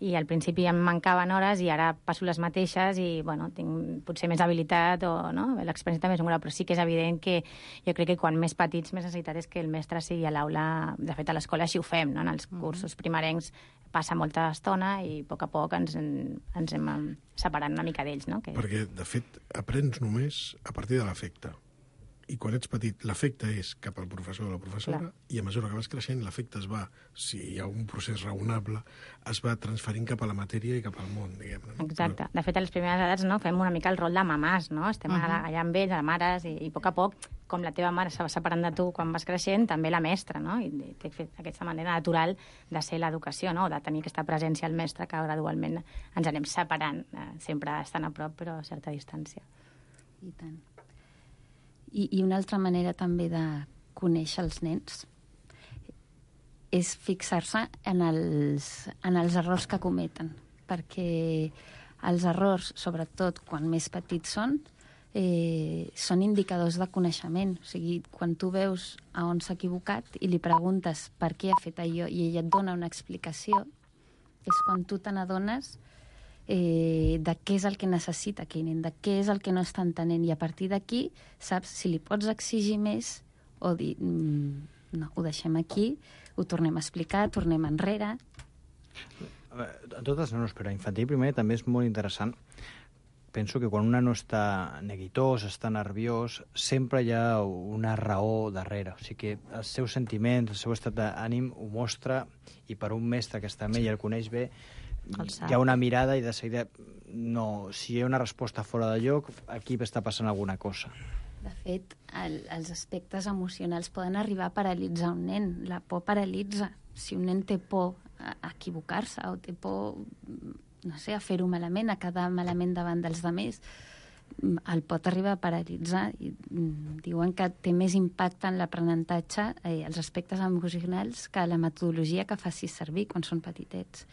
i al principi em mancaven hores i ara passo les mateixes i, bueno, tinc potser més habilitat o, no? L'experiència també és un grau, però sí que és evident que jo crec que quan més petits més necessitat és que el mestre sigui a l'aula. De fet, a l'escola així ho fem, no? En els cursos primerencs passa molta estona i a poc a poc ens, ens hem separant una mica d'ells, no? Que... Perquè, de fet, aprens només a partir de l'afecte. I quan ets petit, l'afecte és cap al professor o la professora, clar. I a mesura que vas creixent, l'afecte es va, si hi ha un procés raonable, es va transferint cap a la matèria i cap al món, diguem-ne. No? Exacte. De fet, a les primeres edats, no, fem una mica el rol de mamàs, no? Estem uh -huh. allà amb ells, a mares, i, i a poc a poc, com la teva mare se va separant de tu quan vas creixent, també la mestra, no? I té fet aquesta manera natural de ser l'educació, no? De tenir aquesta presència al mestre, que gradualment ens anem separant, eh, sempre estan a prop, però a certa distància. I tant. I, I una altra manera també de conèixer els nens és fixar-se en els, en els errors que cometen, perquè els errors, sobretot quan més petits són, eh, són indicadors de coneixement. O sigui, quan tu veus a on s'ha equivocat i li preguntes per què ha fet allò i ella et dona una explicació, és quan tu te n'adones Eh, de què és el que necessita aquell nen, de què és el que no està entenent, i a partir d'aquí saps si li pots exigir més o dir mm, no, ho deixem aquí, ho tornem a explicar, tornem enrere. A totes no, però a infantil primer també és molt interessant. Penso que quan un nano està neguitós, està nerviós, sempre hi ha una raó darrere. O sigui que els seus sentiments, el seu estat d'ànim ho mostra, i per un mestre que està amb ell i el coneix bé, hi ha una mirada i de seguida, no, si hi ha una resposta fora de lloc, aquí està passant alguna cosa. De fet, el, els aspectes emocionals poden arribar a paralitzar un nen. La por paralitza. Si un nen té por a, a equivocar-se o té por, no sé, a fer-ho malament, a quedar malament davant dels altres, el pot arribar a paralitzar. I, mm, diuen que té més impacte en l'aprenentatge eh, els aspectes emocionals que la metodologia que facis servir quan són petitets.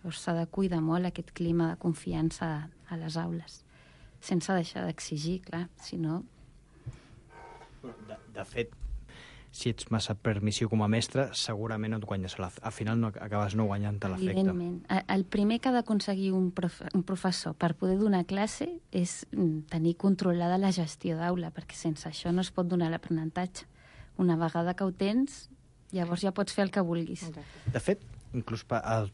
Llavors s'ha de cuidar molt aquest clima de confiança a les aules, sense deixar d'exigir, clar, si no... De, de fet, si ets massa permissiu com a mestre, segurament no et guanyes. Al final no acabes no guanyant-te l'efecte. Evidentment. El primer que ha d'aconseguir un, prof, un professor per poder donar classe és tenir controlada la gestió d'aula, perquè sense això no es pot donar l'aprenentatge. Una vegada que ho tens, llavors ja pots fer el que vulguis. De fet, inclús el,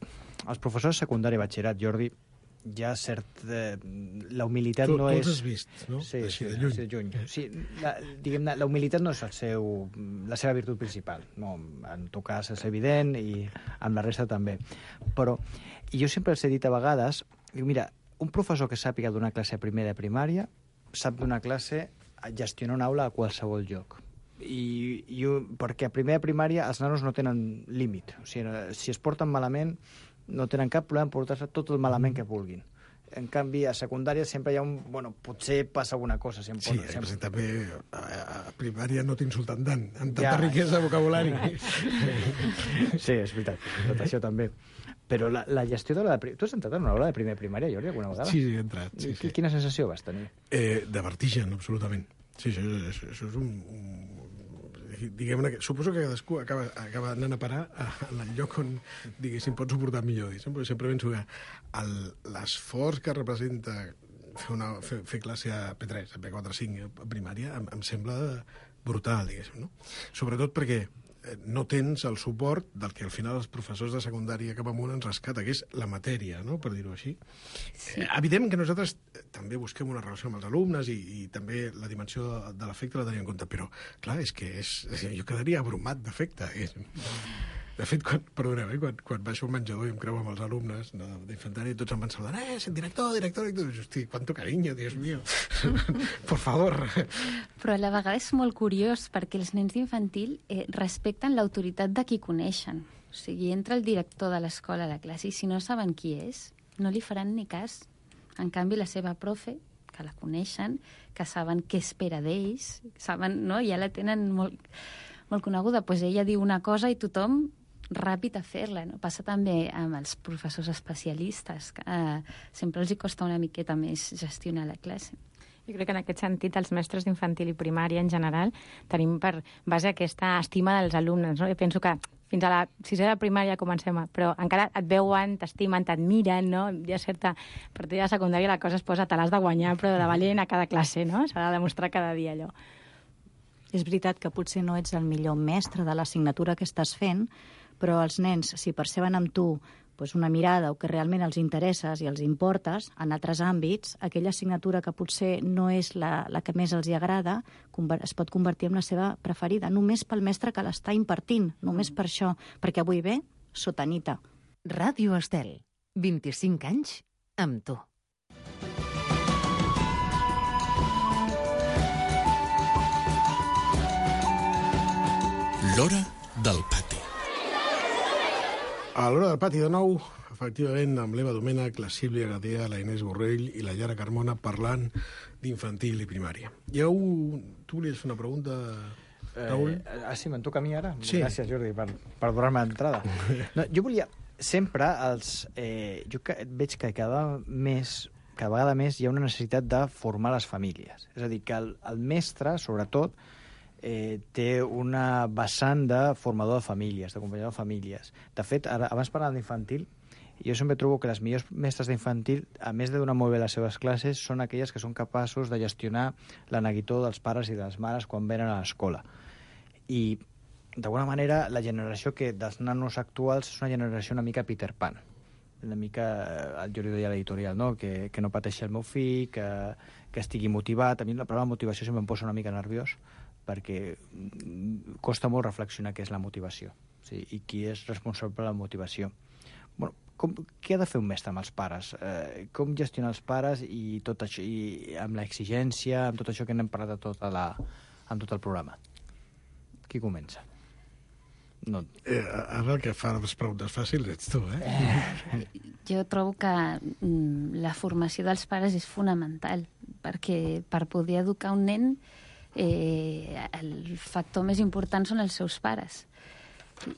els professors de secundària i batxillerat, Jordi, ja cert... Eh, la humilitat tu, no tu és... els has vist, no? Sí, Així sí, de lluny. de lluny. Sí, la, diguem-ne, la humilitat no és el seu, la seva virtut principal. No, en tot cas és evident i amb la resta també. Però jo sempre els he dit a vegades, dic, mira, un professor que sàpiga donar classe a primer de primària sap donar classe a gestionar una aula a qualsevol lloc. I, i perquè a primer de primària els nanos no tenen límit. O sigui, si es porten malament, no tenen cap problema en portar-se tot el malament que vulguin. En canvi, a secundària sempre hi ha un... Bueno, potser passa alguna cosa. Si em sí, pot, sempre... també a, a primària no t'insulten tant, amb tanta ja. riquesa de vocabulari. Sí, és veritat, tot això també. Però la, la gestió de la... Tu has entrat en una aula de primer primària, Jordi, alguna vegada? Sí, sí, he entrat. Sí, sí. Quina sensació vas tenir? Eh, de vertigen, absolutament. Sí, això, això, això és un... un diguem-ne, suposo que cadascú acaba, acaba anant a parar al lloc on, diguéssim, pot suportar millor. Sempre, sempre penso que l'esforç que representa fer, una, fer, fer classe a P tres, a P quatre, a cinc, a primària, em, em sembla brutal, diguéssim, no? Sobretot perquè no tens el suport del que al final els professors de secundària cap amunt ens rescata, que és la matèria, no?, per dir-ho així. Sí. Eh, evident que nosaltres també busquem una relació amb els alumnes i, i també la dimensió de, de l'afecte la tenim en compte, però, clar, és que és, jo quedaria abrumat d'afecte. De fet, quan, perdoneu, eh, quan, quan baixo al menjador i em creu amb els alumnes no, d'infantària, tots em van saludar, eh, director, director, director. Hosti, quanto cariño, Dios mío. Por favor. Però a la vegada és molt curiós perquè els nens d'infantil eh, respecten l'autoritat de qui coneixen. O sigui, entra el director de l'escola a la classe i si no saben qui és, no li faran ni cas. En canvi, la seva profe, que la coneixen, que saben què espera d'ells, saben, no? Ja la tenen molt, molt coneguda, doncs ella diu una cosa i tothom ràpid a fer-la, no? Passa també amb els professors especialistes, que eh, sempre els hi costa una miqueta més gestionar la classe. Jo crec que en aquest sentit els mestres d'infantil i primària en general tenim per base aquesta estima dels alumnes, no? Jo penso que fins a la sisena de primària comencem, a, però encara et veuen, t'estimen, t'admiren, no? Hi ha certa... A partir de la secundària la cosa es posa, te l'has de guanyar, però de valent a cada classe, no? S'ha de demostrar cada dia allò. És veritat que potser no ets el millor mestre de l'assignatura que estàs fent, però els nens, si perceben amb tu doncs una mirada o que realment els interesses i els importes en altres àmbits, aquella assignatura que potser no és la, la que més els hi agrada es pot convertir en la seva preferida, només pel mestre que l'està impartint, només per això, perquè avui ve sotanita. Ràdio Estel, vint-i-cinc anys amb tu. L'hora del pati. A l'hora del pati, de nou, efectivament, amb l'Eva Domènech, la Sílvia Gadea, la Inés Borrell i la Llara Carmona parlant d'infantil i primària. Hi ha un... Tu volies fer una pregunta, Raül? Eh, ah, sí, me'n toca a mi ara? Sí. Gràcies, Jordi, per, per donar-me l'entrada. No, jo volia... Sempre els... Eh, jo que, veig que cada més, cada vegada més hi ha una necessitat de formar les famílies. És a dir, que el, el mestre, sobretot, Eh, té una vessant de formador de famílies, d'acompanyador de famílies. De fet, ara, abans parlant d'infantil, jo sempre trobo que les millors mestres d'infantil, a més de donar molt bé les seves classes, són aquelles que són capaços de gestionar la neguitó dels pares i de les mares quan venen a l'escola. I, d'alguna manera, la generació que dels nanos actuals és una generació una mica Peter Pan. Una mica, el Jordi deia a l'editorial, no? que, que no pateixi el meu fill, que, que estigui motivat. A mi la paraula motivació sempre em posa una mica nerviós, perquè costa molt reflexionar què és la motivació, sí? I qui és responsable de la motivació. Bueno, com, què ha de fer un mestre amb els pares? Eh, com gestionar els pares i tot això, i amb l'exigència, amb tot això que n'hem parlat a tota la, amb tot el programa? Qui comença? No. Eh, ara el que fa les preguntes fàcils ets tu, eh? eh jo trobo que mm, la formació dels pares és fonamental, perquè per poder educar un nen Eh, el factor més important són els seus pares,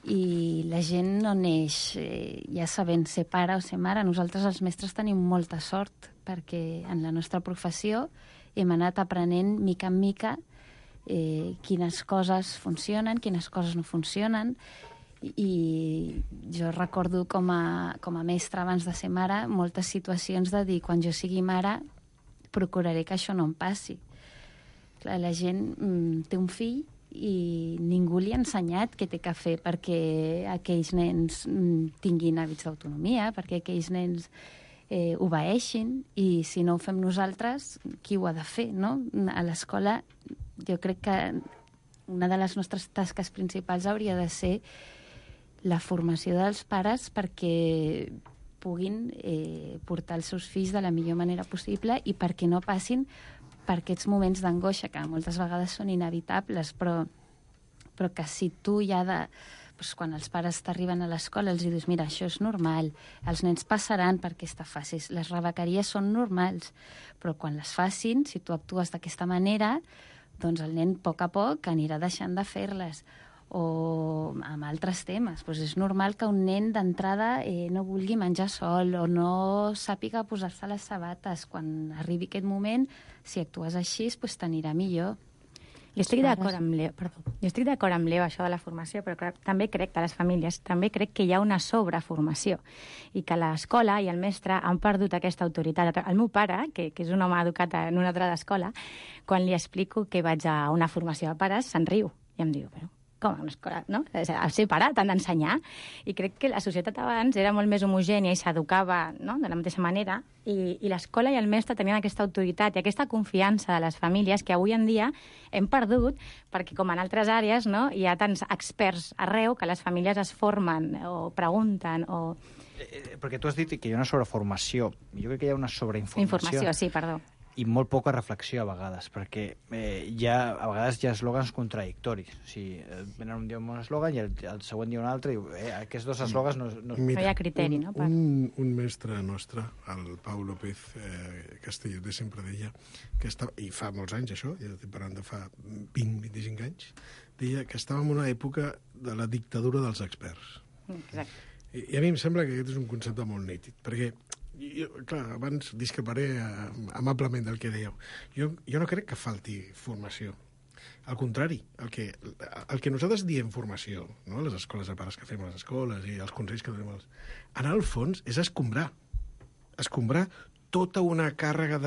i la gent no neix eh, ja sabent ser pare o ser mare. Nosaltres els mestres tenim molta sort, perquè en la nostra professió hem anat aprenent mica en mica eh, quines coses funcionen, quines coses no funcionen, i jo recordo com a, com a mestra abans de ser mare moltes situacions de dir, quan jo sigui mare procuraré que això no em passi. Clar, la gent mm, té un fill i ningú li ha ensenyat què té que fer perquè aquells nens mm, tinguin hàbits d'autonomia, perquè aquells nens eh, obeeixin, i si no ho fem nosaltres, qui ho ha de fer, no? A l'escola jo crec que una de les nostres tasques principals hauria de ser la formació dels pares perquè puguin eh, portar els seus fills de la millor manera possible i perquè no passin per aquests moments d'angoixa, que moltes vegades són inevitables, però, però que si tu ja de... Doncs quan els pares t'arriben a l'escola els dius, mira, això és normal, els nens passaran per aquesta fase, les rebequeries són normals, però quan les facin, si tu actues d'aquesta manera, doncs el nen a poc a poc anirà deixant de fer-les. O amb altres temes. Pues és normal que un nen d'entrada eh, no vulgui menjar sol o no sàpiga posar-se les sabates. Quan arribi aquest moment, si actues així, pues t'anirà millor. Jo estic d'acord amb l'Eva, perdó. Jo estic d'acord amb l'Eva, això de la formació, però clar, també crec que les famílies, també crec que hi ha una sobreformació i que l'escola i el mestre han perdut aquesta autoritat. El meu pare, que, que és un home educat en una altra escola, quan li explico que vaig a una formació de pares, se'n riu i em diu, però com a una escola, no? El ser pare t'han d'ensenyar. I crec que la societat abans era molt més homogènia i s'educava, no?, de la mateixa manera, i, i l'escola i el mestre tenien aquesta autoritat i aquesta confiança de les famílies que avui en dia hem perdut, perquè com en altres àrees, no?, hi ha tants experts arreu que les famílies es formen o pregunten o... Eh, perquè tu has dit que hi ha una sobreformació. Jo crec que hi ha una sobreinformació. Informació, sí, perdó. I molt poca reflexió a vegades, perquè eh, hi ha, a vegades hi ha eslògans contradictoris. O sigui, venen un dia un eslògan i el, el següent dia un altre, i eh, aquests dos eslògans no... No, Mira, no hi ha criteri, un, no? Per... Un, un mestre nostre, el Pau López eh, Castelloter, sempre deia, que estava, i fa molts anys això, ja estic parlant de fa vint a vint-i-cinc anys, deia que estàvem en una època de la dictadura dels experts. Exacte. I, i a mi em sembla que aquest és un concepte molt nítid, perquè jo, clar, abans discreparé amablement del que dèieu. Jo, jo no crec que falti formació. Al contrari, el que, el que nosaltres diem formació, no? Les escoles de pares que fem a les escoles i els consells que donem als... En el fons és escombrar. Escombrar tota una càrrega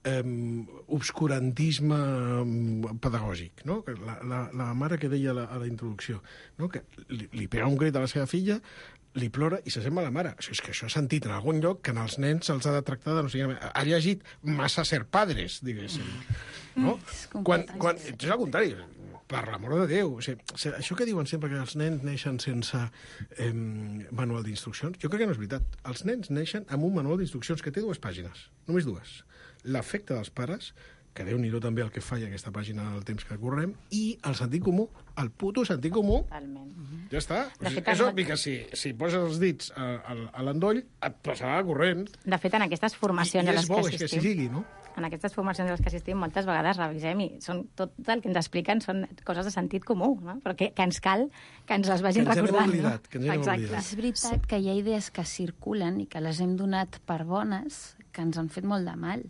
d'obscurantisme um, pedagògic, no? La, la, la mare que deia a la, a la introducció, no? Que li, li pega un crit a la seva filla, li plora i s'assembla a la mare. Això és que això he sentit en algun lloc que en els nens se'ls ha de tractar de no sé què. Ha llegit massa ser padres, diguéssim. No? Quan, quan, és al contrari, per l'amor de Déu. O sigui, això que diuen sempre que els nens neixen sense eh, manual d'instruccions, jo crec que no és veritat. Els nens neixen amb un manual d'instruccions que té dues pàgines, només dues. L'afecte dels pares, que Déu-n'hi-do també el que falla aquesta pàgina del temps que correm, i el sentit comú, el puto sentit comú. Totalment. Ja està. És obvi que si, si poses els dits a, a, a l'endoll, et passarà corrent. De fet, en aquestes formacions I, i a les és bo, que assistim, és que assistim... si sigui, no? En aquestes formacions a les que assistim, moltes vegades revisem i són, tot el que ens expliquen són coses de sentit comú, no? Però que, que ens cal que ens les vagin que ens recordant. Oblidat, no? Que ens Exacte. És veritat que hi ha idees que circulen i que les hem donat per bones que ens han fet molt de mal.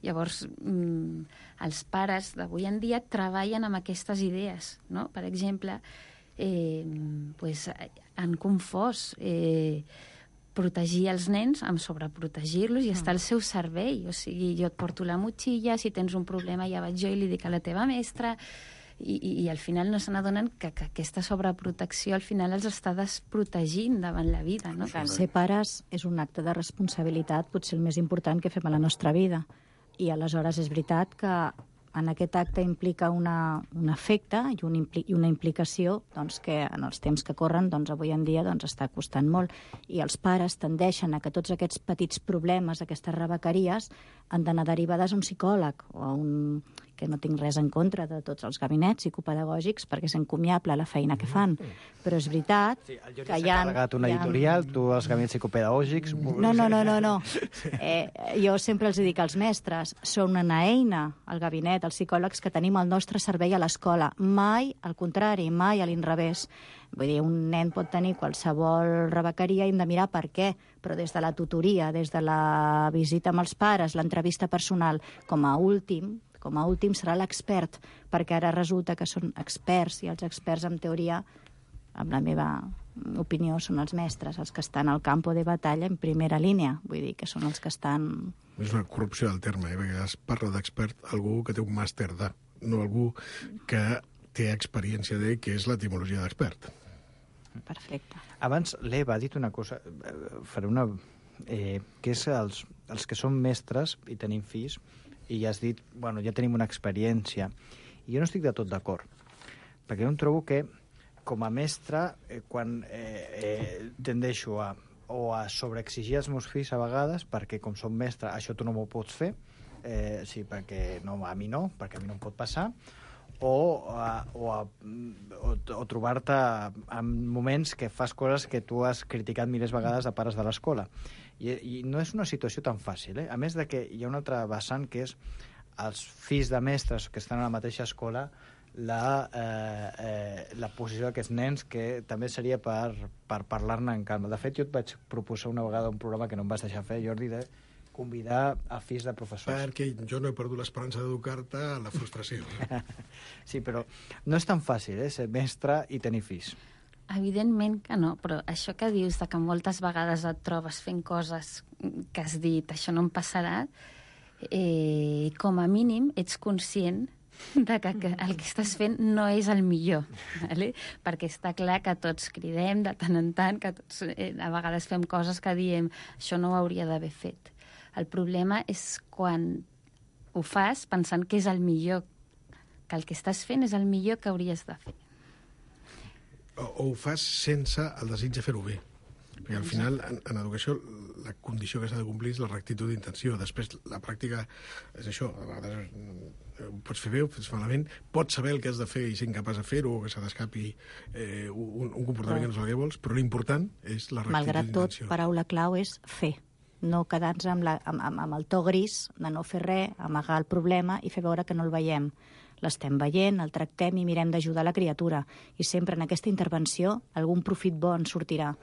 Llavors, mm, els pares d'avui en dia treballen amb aquestes idees, no? Per exemple, eh, pues, han confós eh, protegir els nens amb sobreprotegir-los i estar al seu servei. O sigui, jo et porto la motxilla, si tens un problema ja vaig jo i li dic a la teva mestra, i, i, i al final no se n'adonen que, que aquesta sobreprotecció al final els està desprotegint davant la vida, no? Ser pares és un acte de responsabilitat, potser el més important que fem a la nostra vida. I aleshores és veritat que en aquest acte implica una, un efecte i, un impli, i una implicació doncs, que en els temps que corren doncs, avui en dia doncs, està costant molt. I els pares tendeixen a que tots aquests petits problemes, aquestes rebequeries, han d'anar derivades a un psicòleg o a un... que no tinc res en contra de tots els gabinets psicopedagògics perquè és encomiable la feina que fan. Però és veritat sí, que hi ha... carregat una editorial, tu els gabinets psicopedagògics... No, no, no, no. no. Eh, jo sempre els dic als mestres, són una eina, el gabinet, els psicòlegs que tenim al nostre servei a l'escola. Mai al contrari, mai a l'inrevés. Vull dir, un nen pot tenir qualsevol rebequeria i hem de mirar per què, però des de la tutoria, des de la visita amb els pares, l'entrevista personal, com a últim, com a últim serà l'expert, perquè ara resulta que són experts, i els experts, en teoria, amb la meva opinió, són els mestres, els que estan al campo de batalla en primera línia. Vull dir que són els que estan... És una corrupció del terme, eh? Perquè es parla d'expert algú que té un màster de, no algú que té experiència de, que és l'etimologia d'expert. Perfecte. Abans l'Eva ha dit una cosa, faré una... Eh, que és els, els que són mestres i tenim fills, i ja has dit, bueno, ja tenim una experiència. I jo no estic de tot d'acord, perquè jo em trobo que, com a mestre, eh, quan eh, eh, tendeixo a, o a sobreexigir els meus fills a vegades, perquè com som mestre, això tu no m'ho pots fer, eh, sí, perquè no, a mi no, perquè a mi no em pot passar, o, a, o, a, o, o trobar-te en moments que fas coses que tu has criticat milers vegades de pares de l'escola. I, I no és una situació tan fàcil, eh? A més de que hi ha una altra vessant que és els fills de mestres que estan a la mateixa escola, la, eh, eh, la posició d'aquests nens, que també seria per, per parlar-ne en calma. De fet, jo et vaig proposar una vegada un programa que no em vas deixar fer, Jordi, de convidar a fills de professors. Perquè jo no he perdut l'esperança d'educar-te a la frustració. Sí, però no és tan fàcil, eh, ser mestre i tenir fills. Evidentment que no, però això que dius de que moltes vegades et trobes fent coses que has dit, això no em passarà, eh, com a mínim ets conscient de que, que el que estàs fent no és el millor, vale? Perquè està clar que tots cridem de tant en tant, que tots eh, a vegades fem coses que diem això no ho hauria d'haver fet. El problema és quan ho fas pensant que és el millor, que el que estàs fent és el millor que hauries de fer. O, o ho fas sense el desig de fer-ho bé. Perquè al final, en, en educació, la condició que s'ha de complir és la rectitud d'intenció. Després, la pràctica és això. A vegades ho pots fer bé, ho fas malament, pots saber el que has de fer i ser incapaç de fer-ho, o que se t'escapi eh, un, un comportament però, que no és el que vols, però l'important és la rectitud malgrat d'intenció. tot, paraula clau és fer. No quedar-nos amb, la, amb, amb, amb el to gris de no fer res, amagar el problema i fer veure que no el veiem. l'estem veient, el tractem i mirem d'ajudar la criatura. I sempre en aquesta intervenció algun profit bo en sortirà.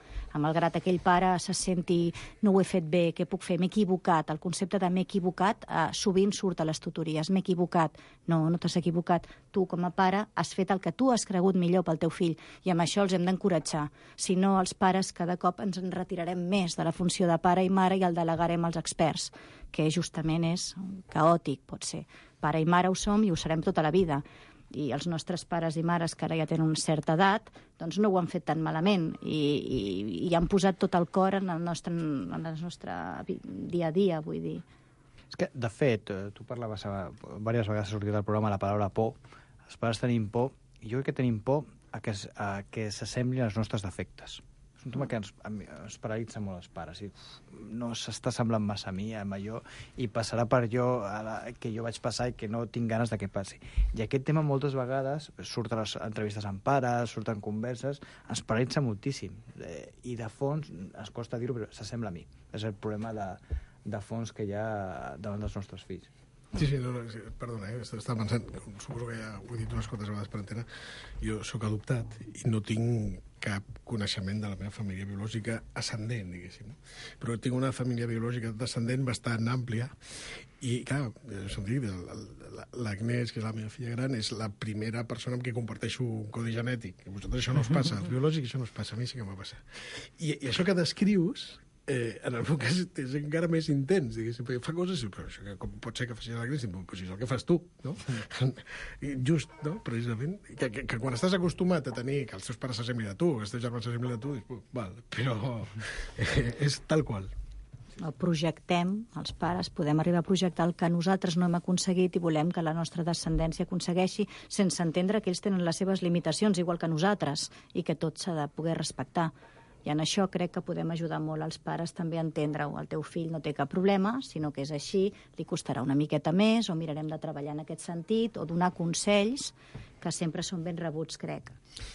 Malgrat aquell pare se senti no ho he fet bé, què puc fer, m'he equivocat. El concepte de m'he equivocat eh, sovint surt a les tutories. M'he equivocat. No, no t'has equivocat. Tu, com a pare, has fet el que tu has cregut millor pel teu fill i amb això els hem d'encoratjar. Si no, els pares cada cop ens en retirarem més de la funció de pare i mare i el delegarem als experts, que justament és caòtic, pot ser. Pare i mare ho som i ho serem tota la vida. I els nostres pares i mares, que ara ja tenen una certa edat, doncs no ho han fet tan malament i, i, i han posat tot el cor en el nostre, en el nostre dia a dia, vull dir. És que, de fet, tu parlaves, diverses vegades ha sortit al programa la paraula por. Els pares tenim por, i jo crec que tenim por a que, a que s'assemblin als nostres defectes. És un tema que ens, ens paralitza molt els pares. I, no s'està semblant massa a mi, amb allò, i passarà per allò que jo vaig passar i que no tinc ganes de que passi. I aquest tema moltes vegades surt a les entrevistes amb pares, surten converses, ens paralitza moltíssim. Eh, I de fons, ens costa dir-ho, però s'assembla a mi. És el problema de, de fons que hi ha davant dels nostres fills. Sí, sí, no, no, perdona, eh? Estava pensant, suposo que ja ho he dit unes quantes vegades per antena, jo sóc adoptat i no tinc cap coneixement de la meva família biològica ascendent, diguéssim. Però tinc una família biològica descendent bastant àmplia i, clar, l'Agnès, que és la meva filla gran, és la primera persona amb qui comparteixo un codi genètic. A vosaltres això no us passa, als biològics això no us passa, a mi sí que m'ha passat. I, i això que descrius, eh, en el meu cas és encara més intens, diguéssim, perquè fa coses, però això que, com pot ser que faci l'Agnès, però si és el que fas tu, no? Just, no?, precisament, que, que, que quan estàs acostumat a tenir que els teus pares s'assemblin a tu, que els teus germans s'assemblin a tu, dius, val, però eh, és tal qual. El projectem, els pares podem arribar a projectar el que nosaltres no hem aconseguit i volem que la nostra descendència aconsegueixi, sense entendre que ells tenen les seves limitacions, igual que nosaltres, i que tot s'ha de poder respectar. I en això crec que podem ajudar molt als pares també a entendre-ho. El teu fill no té cap problema, sinó que és així, li costarà una miqueta més, o mirarem de treballar en aquest sentit, o donar consells, que sempre són ben rebuts, crec.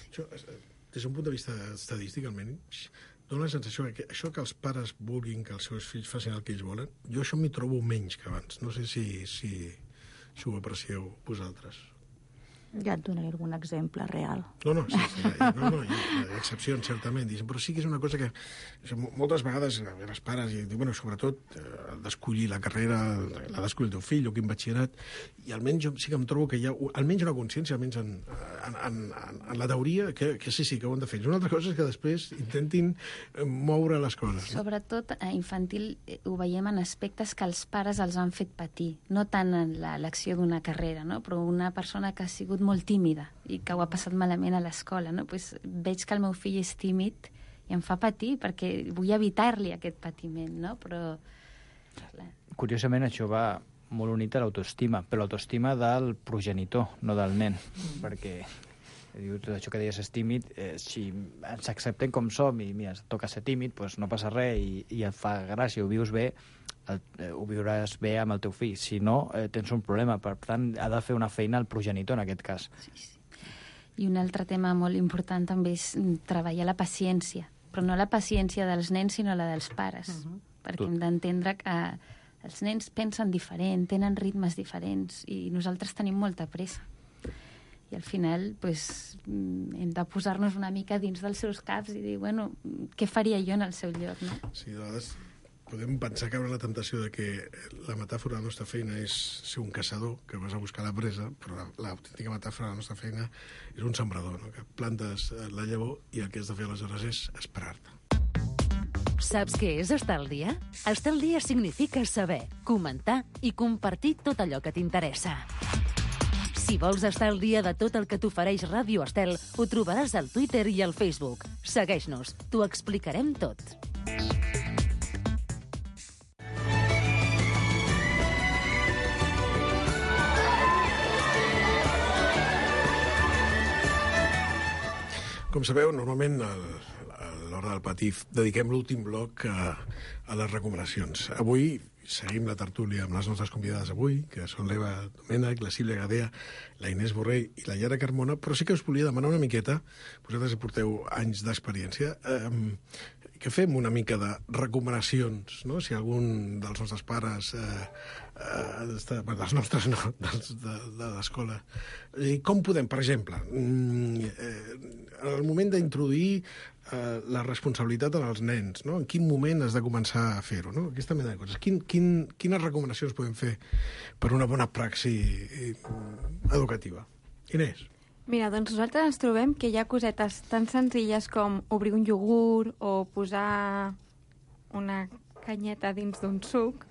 Això, des d'un punt de vista estadístic, almenys, dona la sensació que això que els pares vulguin que els seus fills facin el que ells volen, jo això m'hi trobo menys que abans. No sé si, si, si ho aprecieu vosaltres. Ja et donaré algun exemple real. No, no, sí, sí, no, no, hi ha excepcions, certament, però sí que és una cosa que moltes vegades els pares, i bueno, sobretot, el d'escollir la carrera, la d'escollir el teu fill o quin batxillerat, i almenys jo sí que em trobo que hi ha almenys una consciència, almenys en, en, en, en la teoria, que, que sí, sí, que ho han de fer. Una altra cosa és que després intentin moure les coses. No? Sobretot a infantil ho veiem en aspectes que els pares els han fet patir, no tant en l'elecció d'una carrera, no? Però una persona que ha sigut molt tímida i que ho ha passat malament a l'escola, no? Pues veig que el meu fill és tímid i em fa patir perquè vull evitar-li aquest patiment, no? Però... Curiosament, això va molt unit a l'autoestima, però l'autoestima del progenitor, no del nen, mm. perquè diu, tot això que deies és tímid, eh, si ens acceptem com som i mira, toca ser tímid, doncs no passa res i, i et fa gràcia, ho vius bé, el, eh, ho viuràs bé amb el teu fill. Si no, eh, tens un problema. Per tant, ha de fer una feina el progenitor, en aquest cas. Sí, sí. I un altre tema molt important també és treballar la paciència. Però no la paciència dels nens, sinó la dels pares. Uh-huh. Perquè Tot. Hem d'entendre que els nens pensen diferent, tenen ritmes diferents, i nosaltres tenim molta pressa. I al final pues, hem de posar-nos una mica dins dels seus caps i dir, bueno, què faria jo en el seu lloc, no? Sí, de vegades podem pensar que hi ha la temptació de que la metàfora de la nostra feina és ser un caçador que vas a buscar la presa, però l'autèntica metàfora de la nostra feina és un sembrador, no? Que plantes la llavor i el que has de fer aleshores és esperar-te. Saps què és estar al dia? Estar al dia significa saber, comentar i compartir tot allò que t'interessa. Si vols estar al dia de tot el que t'ofereix Ràdio Estel, ho trobaràs al Twitter i al Facebook. Segueix-nos, t'ho explicarem tot. Com sabeu, normalment a l'hora del patí dediquem l'últim bloc a, a les recomanacions. Avui seguim la tertúlia amb les nostres convidades avui, que són l'Eva Domènech, la Sílvia Gadea, la Inés Borrell i la Yara Carmona, però sí que us volia demanar una miqueta, vosaltres porteu anys d'experiència, eh, i que fem una mica de recomanacions, no? Si algun dels nostres pares, eh, eh, està, bueno, dels nostres no, dels, de, de l'escola. I com podem, per exemple, eh, en el moment d'introduir eh, la responsabilitat en els nens, no? En quin moment has de començar a fer-ho, no? Aquesta mena de coses. Quin, quin, quines recomanacions podem fer per una bona praxi educativa? Inés? Mira, doncs nosaltres ens trobem que hi ha cosetes tan senzilles com obrir un iogurt o posar una canyeta dins d'un suc.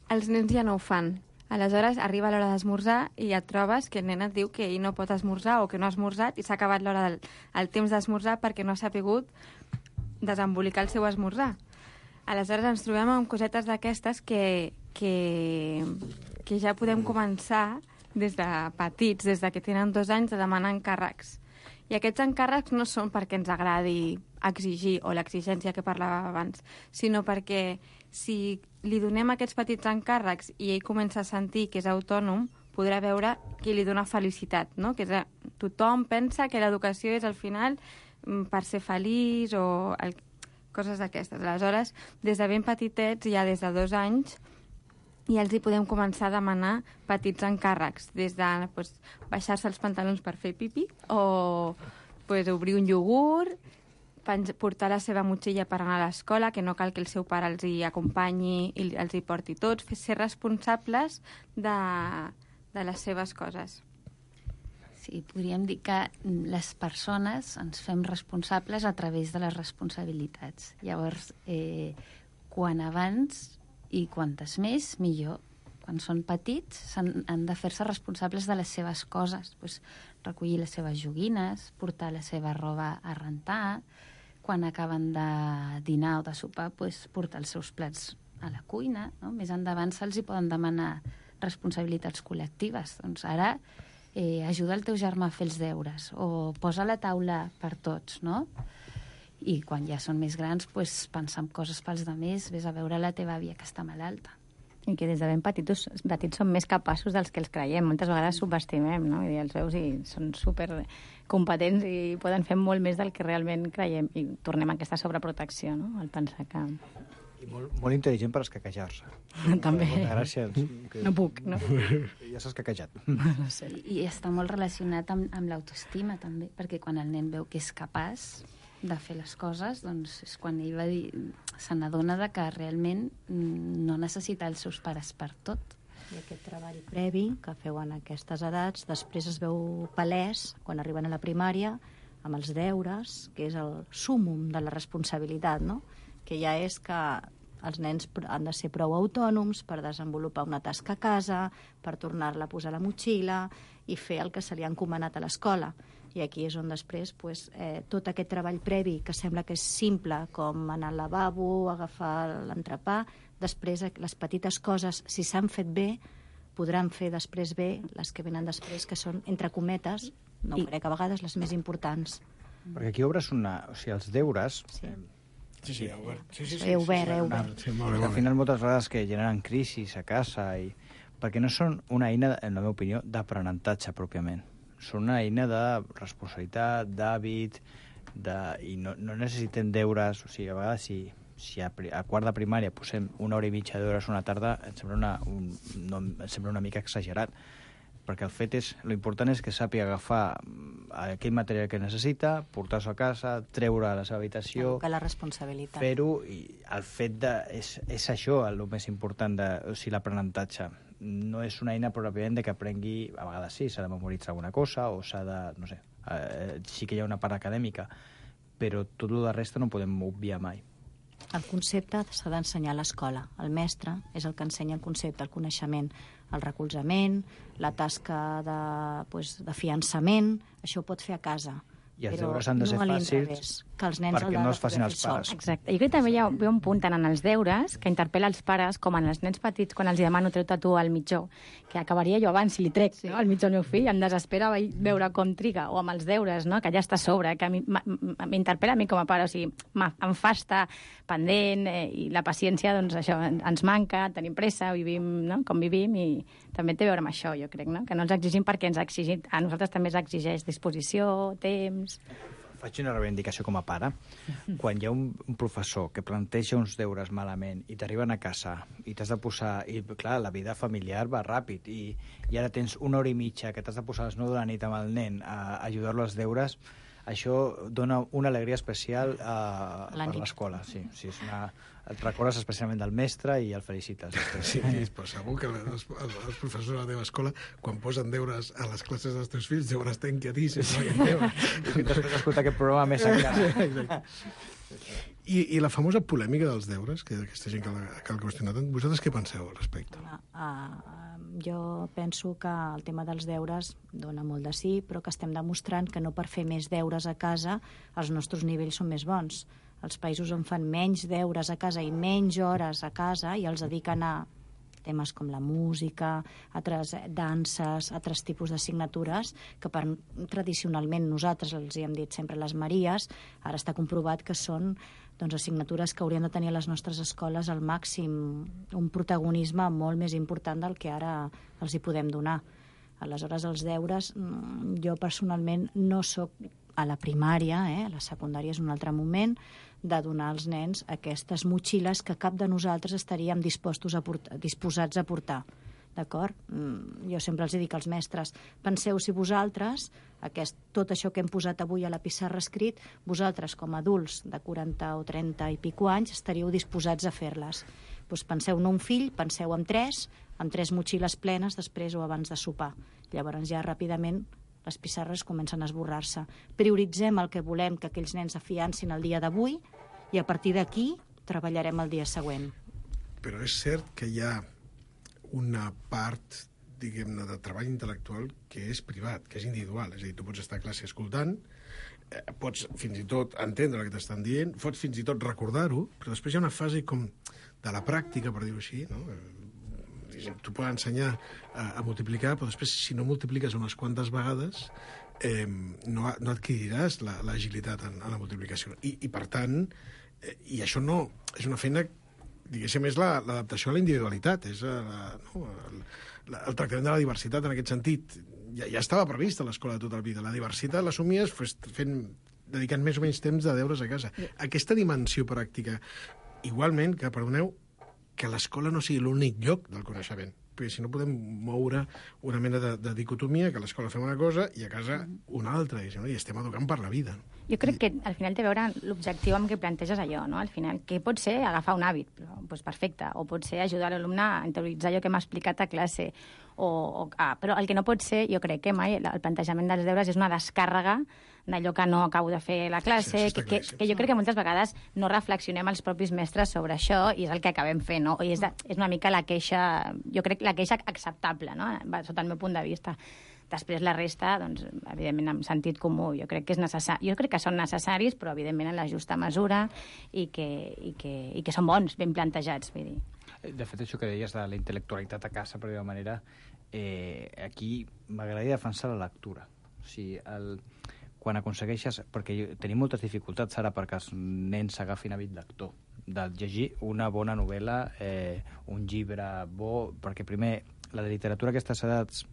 Els nens ja no ho fan. Aleshores, arriba l'hora d'esmorzar i et trobes que el nen et diu que ell no pot esmorzar o que no ha esmorzat i s'ha acabat l'hora del el temps d'esmorzar perquè no ha sapigut desembolicar el seu esmorzar. Aleshores, ens trobem amb cosetes d'aquestes que, que, que ja podem començar des de petits, des de que tenen dos anys, a demanar encàrrecs. I aquests encàrrecs no són perquè ens agradi exigir, o l'exigència que parlava abans, sinó perquè si li donem aquests petits encàrrecs i ell comença a sentir que és autònom, podrà veure que li dona felicitat, no? Que és, tothom pensa que l'educació és al final per ser feliç o el, coses d'aquestes. Aleshores, des de ben petitets, ja des de dos anys, i els hi podem començar a demanar petits encàrrecs, des de pues, baixar-se els pantalons per fer pipi o pues, obrir un iogurt, portar la seva motxilla per anar a l'escola, que no cal que el seu pare els hi acompanyi i els hi porti tots, ser responsables de, de les seves coses. Sí, podríem dir que les persones ens fem responsables a través de les responsabilitats. Llavors, eh, quan abans i quantes més, millor. Quan són petits, han, han de fer-se responsables de les seves coses, pues, recollir les seves joguines, portar la seva roba a rentar, quan acaben de dinar o de sopar, pues, portar els seus plats a la cuina. No? Més endavant se'ls hi poden demanar responsabilitats col·lectives. Doncs ara eh, ajuda el teu germà a fer els deures o posa la taula per tots, no? I quan ja són més grans, pues, pensar en coses pels demés, vés a veure la teva àvia que està malalta. I que des de ben petits, petits són més capaços dels que els creiem. Moltes vegades subestimem, no? I els veus i són super competents i poden fer molt més del que realment creiem. I tornem a aquesta sobreprotecció, no? Al pensar que... I molt, molt intel·ligent per escaquejar-se. També. Gràcies. Que... No puc, no? Ja s'ha escaquejat. No sé. I, I està molt relacionat amb, amb l'autoestima, també, perquè quan el nen veu que és capaç de fer les coses, doncs és quan ell va dir, se n'adona de que realment no necessita els seus pares per tot. I aquest treball previ que feu en aquestes edats, després es veu palès quan arriben a la primària amb els deures, que és el súmum de la responsabilitat, no? Que ja és que els nens han de ser prou autònoms per desenvolupar una tasca a casa, per tornar-la a posar a la motxilla i fer el que se li ha encomanat a l'escola. I aquí és on després pues, eh, tot aquest treball previ, que sembla que és simple, com anar al lavabo, agafar l'entrepà, després les petites coses, si s'han fet bé, podran fer després bé les que venen després, que són, entre cometes, no I... crec, a vegades les més importants. Perquè aquí obres una... O sigui, els deures... Sí. Sí, sí, he obert. Sí, sí, sí, he obert, he obert. Sí, molt bé, molt bé. Al final, moltes vegades que generen crisis a casa, i... perquè no són una eina, en la meva opinió, d'aprenentatge pròpiament. Són una eina de responsabilitat, d'hàbit, de... i no, no necessitem deures. O sigui, a vegades, si, si a, a quart de primària posem una hora i mitja d'hores una tarda, em sembla una, un, no, em sembla una mica exagerat. Perquè el fet és, l'important és que sàpiga agafar aquell material que necessita, portar-s'ho a casa, treure a la seva habitació... Que la responsabilitat. Fer-ho, i el fet de... És, és això el més important, de, o sigui, l'aprenentatge. No és una eina pròpiament de que aprengui, a vegades sí, s'ha de memoritzar alguna cosa, o s'ha de, no sé, eh, sí que hi ha una part acadèmica, però tot el de resta no podem obviar mai. El concepte s'ha d'ensenyar a l'escola. El mestre és el que ensenya el concepte, el coneixement, el recolzament, la tasca de, pues, de fiançament, això ho pot fer a casa. I els però deures han de ser no fàcils que els nens perquè no els facin els pares. Exacte. Jo crec que també hi ha un punt tant en els deures que interpel·la els pares com en els nens petits quan els demano treu-te tu al mitjó, que acabaria jo abans si li trec sí. no, al mitjó al meu fill, em desespera veure com triga, o amb els deures, no, que ja està a sobre, que m'interpel·la a mi com a pare, o sigui, em fa estar pendent eh, i la paciència, doncs això, ens manca, tenim pressa, vivim no, com vivim, i també té a veure amb això, jo crec, no? Que no ens exigim perquè ens exigim, a nosaltres també ens exigeix disposició, temps... faig una reivindicació com a pare. Quan hi ha un, un professor que planteja uns deures malament i t'arriben a casa i t'has de posar... I, clar, la vida familiar va ràpid i, i ara tens una hora i mitja que t'has de posar a les nou de la nit amb el nen a, a ajudar-lo als deures, això dona una alegria especial a, per l'escola. Sí, sí, és una... Et recordes especialment del mestre i el felicites. Sí, però segur que els, els professors de la teva escola, quan posen deures a les classes dels teus fills, deuen estar inquietíssims. I després d'escoltar aquest programa més encara. I, I la famosa polèmica dels deures, que aquesta gent que, la, que el qüestiona tant, vosaltres què penseu al respecte? Uh, uh, jo penso que el tema dels deures dona molt de sí, però que estem demostrant que no per fer més deures a casa els nostres nivells són més bons. Els països on fan menys deures a casa i menys hores a casa i els dediquen a temes com la música, altres danses, altres tipus d'assignatures, que per, tradicionalment nosaltres els hi hem dit sempre les Maries, ara està comprovat que són doncs, assignatures que haurien de tenir a les nostres escoles al màxim un protagonisme molt més important del que ara els hi podem donar. Aleshores, els deures, jo personalment no sóc a la primària, eh? A la secundària és un altre moment, de donar als nens aquestes motxilles que cap de nosaltres estaríem dispostos a portar, disposats a portar. D'acord? Jo sempre els dic als mestres, penseu si vosaltres, aquest, tot això que hem posat avui a la pissarra escrit, vosaltres com a adults de quaranta o trenta i pico anys estaríeu disposats a fer-les. Doncs penseu no un fill, penseu en tres, amb tres motxilles plenes després o abans de sopar. Llavors ja ràpidament les pissarres comencen a esborrar-se. Prioritzem el que volem que aquells nens afiancin el dia d'avui i a partir d'aquí treballarem el dia següent. Però és cert que hi ha una part, diguem-ne, de treball intel·lectual que és privat, que és individual. És a dir, tu pots estar a classe escoltant, eh, pots fins i tot entendre el que t'estan dient, pots fins i tot recordar-ho, però després hi ha una fase com de la pràctica, per dir-ho així, no? Tu pots ensenyar a, a multiplicar, però després, si no multipliques unes quantes vegades, eh, no, no adquiriràs l'agilitat la, en, en la multiplicació. I, i per tant, eh, i això no és una feina, diguéssim, és l'adaptació la, a la individualitat, és la, no, el, la, el tractament de la diversitat en aquest sentit. Ja, ja estava previst a l'escola de tota la vida. La diversitat l'assumies fent, dedicant més o menys temps de deures a casa. Aquesta dimensió pràctica, igualment, que, perdoneu, que l'escola no sigui l'únic lloc del coneixement. Perquè si no podem moure una mena de, de dicotomia, que a l'escola fem una cosa i a casa una altra, i, no? I estem educant per la vida. Jo crec que al final té a veure l'objectiu amb què planteges allò, no? Al final, que pot ser agafar un hàbit, però, doncs perfecte, o pot ser ajudar l'alumne a interioritzar allò que m'ha explicat a classe, o, o, ah, però el que no pot ser, jo crec que mai el plantejament dels deures és una descàrrega d'allò que no acabo de fer a la classe, sí, que, que, que jo crec que moltes vegades no reflexionem els propis mestres sobre això i és el que acabem fent, no? I és, de, és una mica la queixa, jo crec la queixa acceptable, no? Sota el meu punt de vista. Després la resta, doncs, evidentment, amb sentit comú, jo crec que és necessari. Jo crec que són necessaris, però evidentment en la justa mesura i que, i que, i que són bons, ben plantejats, vull dir. De fet, això que deies de la intel·lectualitat a casa, per dir-ho manera, eh, aquí m'agradaria defensar la lectura. O sigui, el... quan aconsegueixes... Perquè tenim moltes dificultats ara perquè els nens s'agafin hàbit lector, de llegir una bona novel·la, eh, un llibre bo, perquè primer la literatura a aquestes edats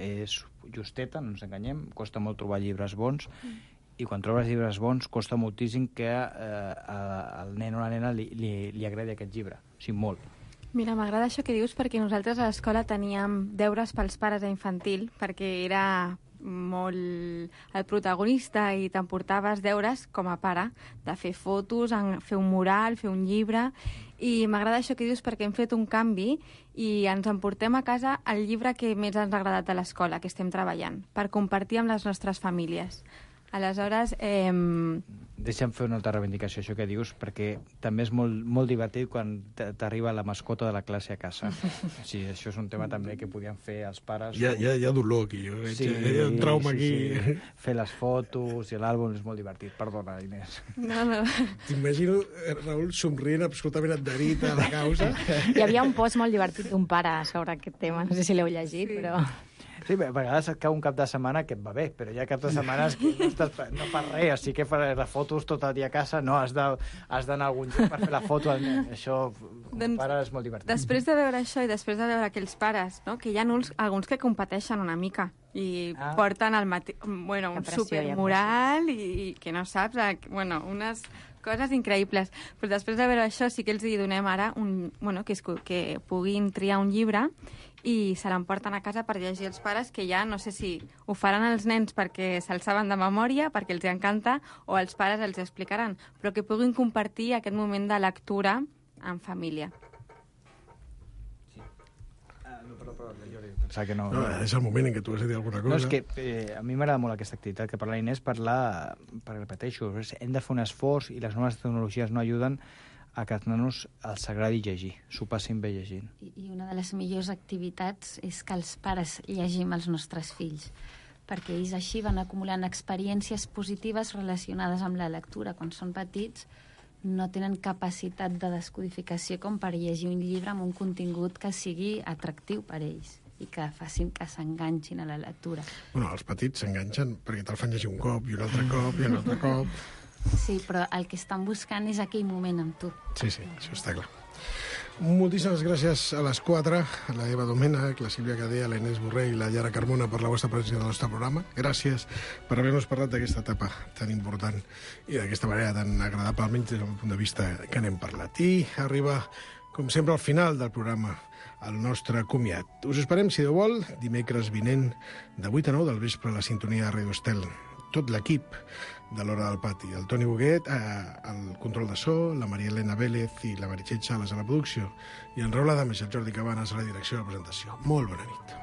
és justeta, no ens enganyem, costa molt trobar llibres bons, mm. i quan trobes llibres bons costa moltíssim que eh, al nen o la nena li, li, li agradi aquest llibre, o sigui, molt. Mira, m'agrada això que dius perquè nosaltres a l'escola teníem deures pels pares a infantil, perquè era molt el protagonista i t'emportaves deures com a pare, de fer fotos, fer un mural, fer un llibre, i m'agrada això que dius perquè hem fet un canvi i ens emportem a casa el llibre que més ens ha agradat a l'escola, que estem treballant, per compartir amb les nostres famílies. Aleshores, eh... Deixa'm fer una altra reivindicació, això que dius, perquè també és molt, molt divertit quan t'arriba la mascota de la classe a casa. Sí, això és un tema també que podien fer els pares. Hi ha, hi ha, hi ha dolor aquí, jo veig, sí, hi ha un trauma sí, aquí. Sí. Fer les fotos i l'àlbum és molt divertit. Perdona, Inés. No, no. T'imagino, Raül, somrient absolutament adherit a la causa. Hi havia un post molt divertit d'un pare sobre aquest tema, no sé si l'heu llegit, sí. però... Sí, a vegades et cau un cap de setmana que et va bé, però hi ha cap de setmanes que no, estàs, no fas res, o sigui que fas les fotos tot el dia a casa, no, has d'anar a algun lloc per fer la foto al nen. Això, com doncs, pare, és molt divertit. Després de veure això i després de veure aquells pares, no, que hi ha uns, alguns que competeixen una mica, i Ah. porten el mate... bueno, un pressió, supermural i, i que no saps, eh, bueno, unes coses increïbles. Però després de veure això sí que els hi donem ara un, bueno, que, es, que puguin triar un llibre i se l'emporten a casa per llegir els pares, que ja no sé si ho faran els nens perquè se'ls saben de memòria, perquè els encanta, o els pares els explicaran, però que puguin compartir aquest moment de lectura en família. Pensava que no... No, és el moment en què tu has de dir alguna cosa. No, és que eh, a mi m'agrada molt aquesta activitat que parla l'Inés, parlar, perquè repeteixo, hem de fer un esforç i les noves tecnologies no ajuden a que els nanos els agradi llegir, s'ho passin bé llegint. I, I una de les millors activitats és que els pares llegim els nostres fills, perquè ells així van acumulant experiències positives relacionades amb la lectura. Quan són petits no tenen capacitat de descodificació com per llegir un llibre amb un contingut que sigui atractiu per ells i que facin que s'enganxin a la lectura. Bueno, els petits s'enganxen perquè te'l fan llegir un cop i un altre cop i un altre cop. Sí, però el que estan buscant és aquell moment amb tu. Sí, sí, això està clar. Moltíssimes gràcies a les quatre, a la Eva Domènech, la Sílvia Cadea, la Inés Borrell i la Yara Carmona per la vostra presència del nostre programa. Gràcies per haver-nos parlat d'aquesta etapa tan important i d'aquesta manera tan agradable, almenys des del punt de vista que n'hem parlat. I arriba, com sempre, al final del programa, el nostre comiat. Us esperem, si Déu vol, dimecres vinent, de vuit a nou del vespre a la sintonia de Radio Estel. Tot l'equip de l'Hora del Pati. El Toni Boguet, eh, el control de so, la Maria Elena Vélez i la Meritxell Sales a la producció, i en Raül Adames i el Jordi Cabanes a la direcció de la presentació. Molt bona nit.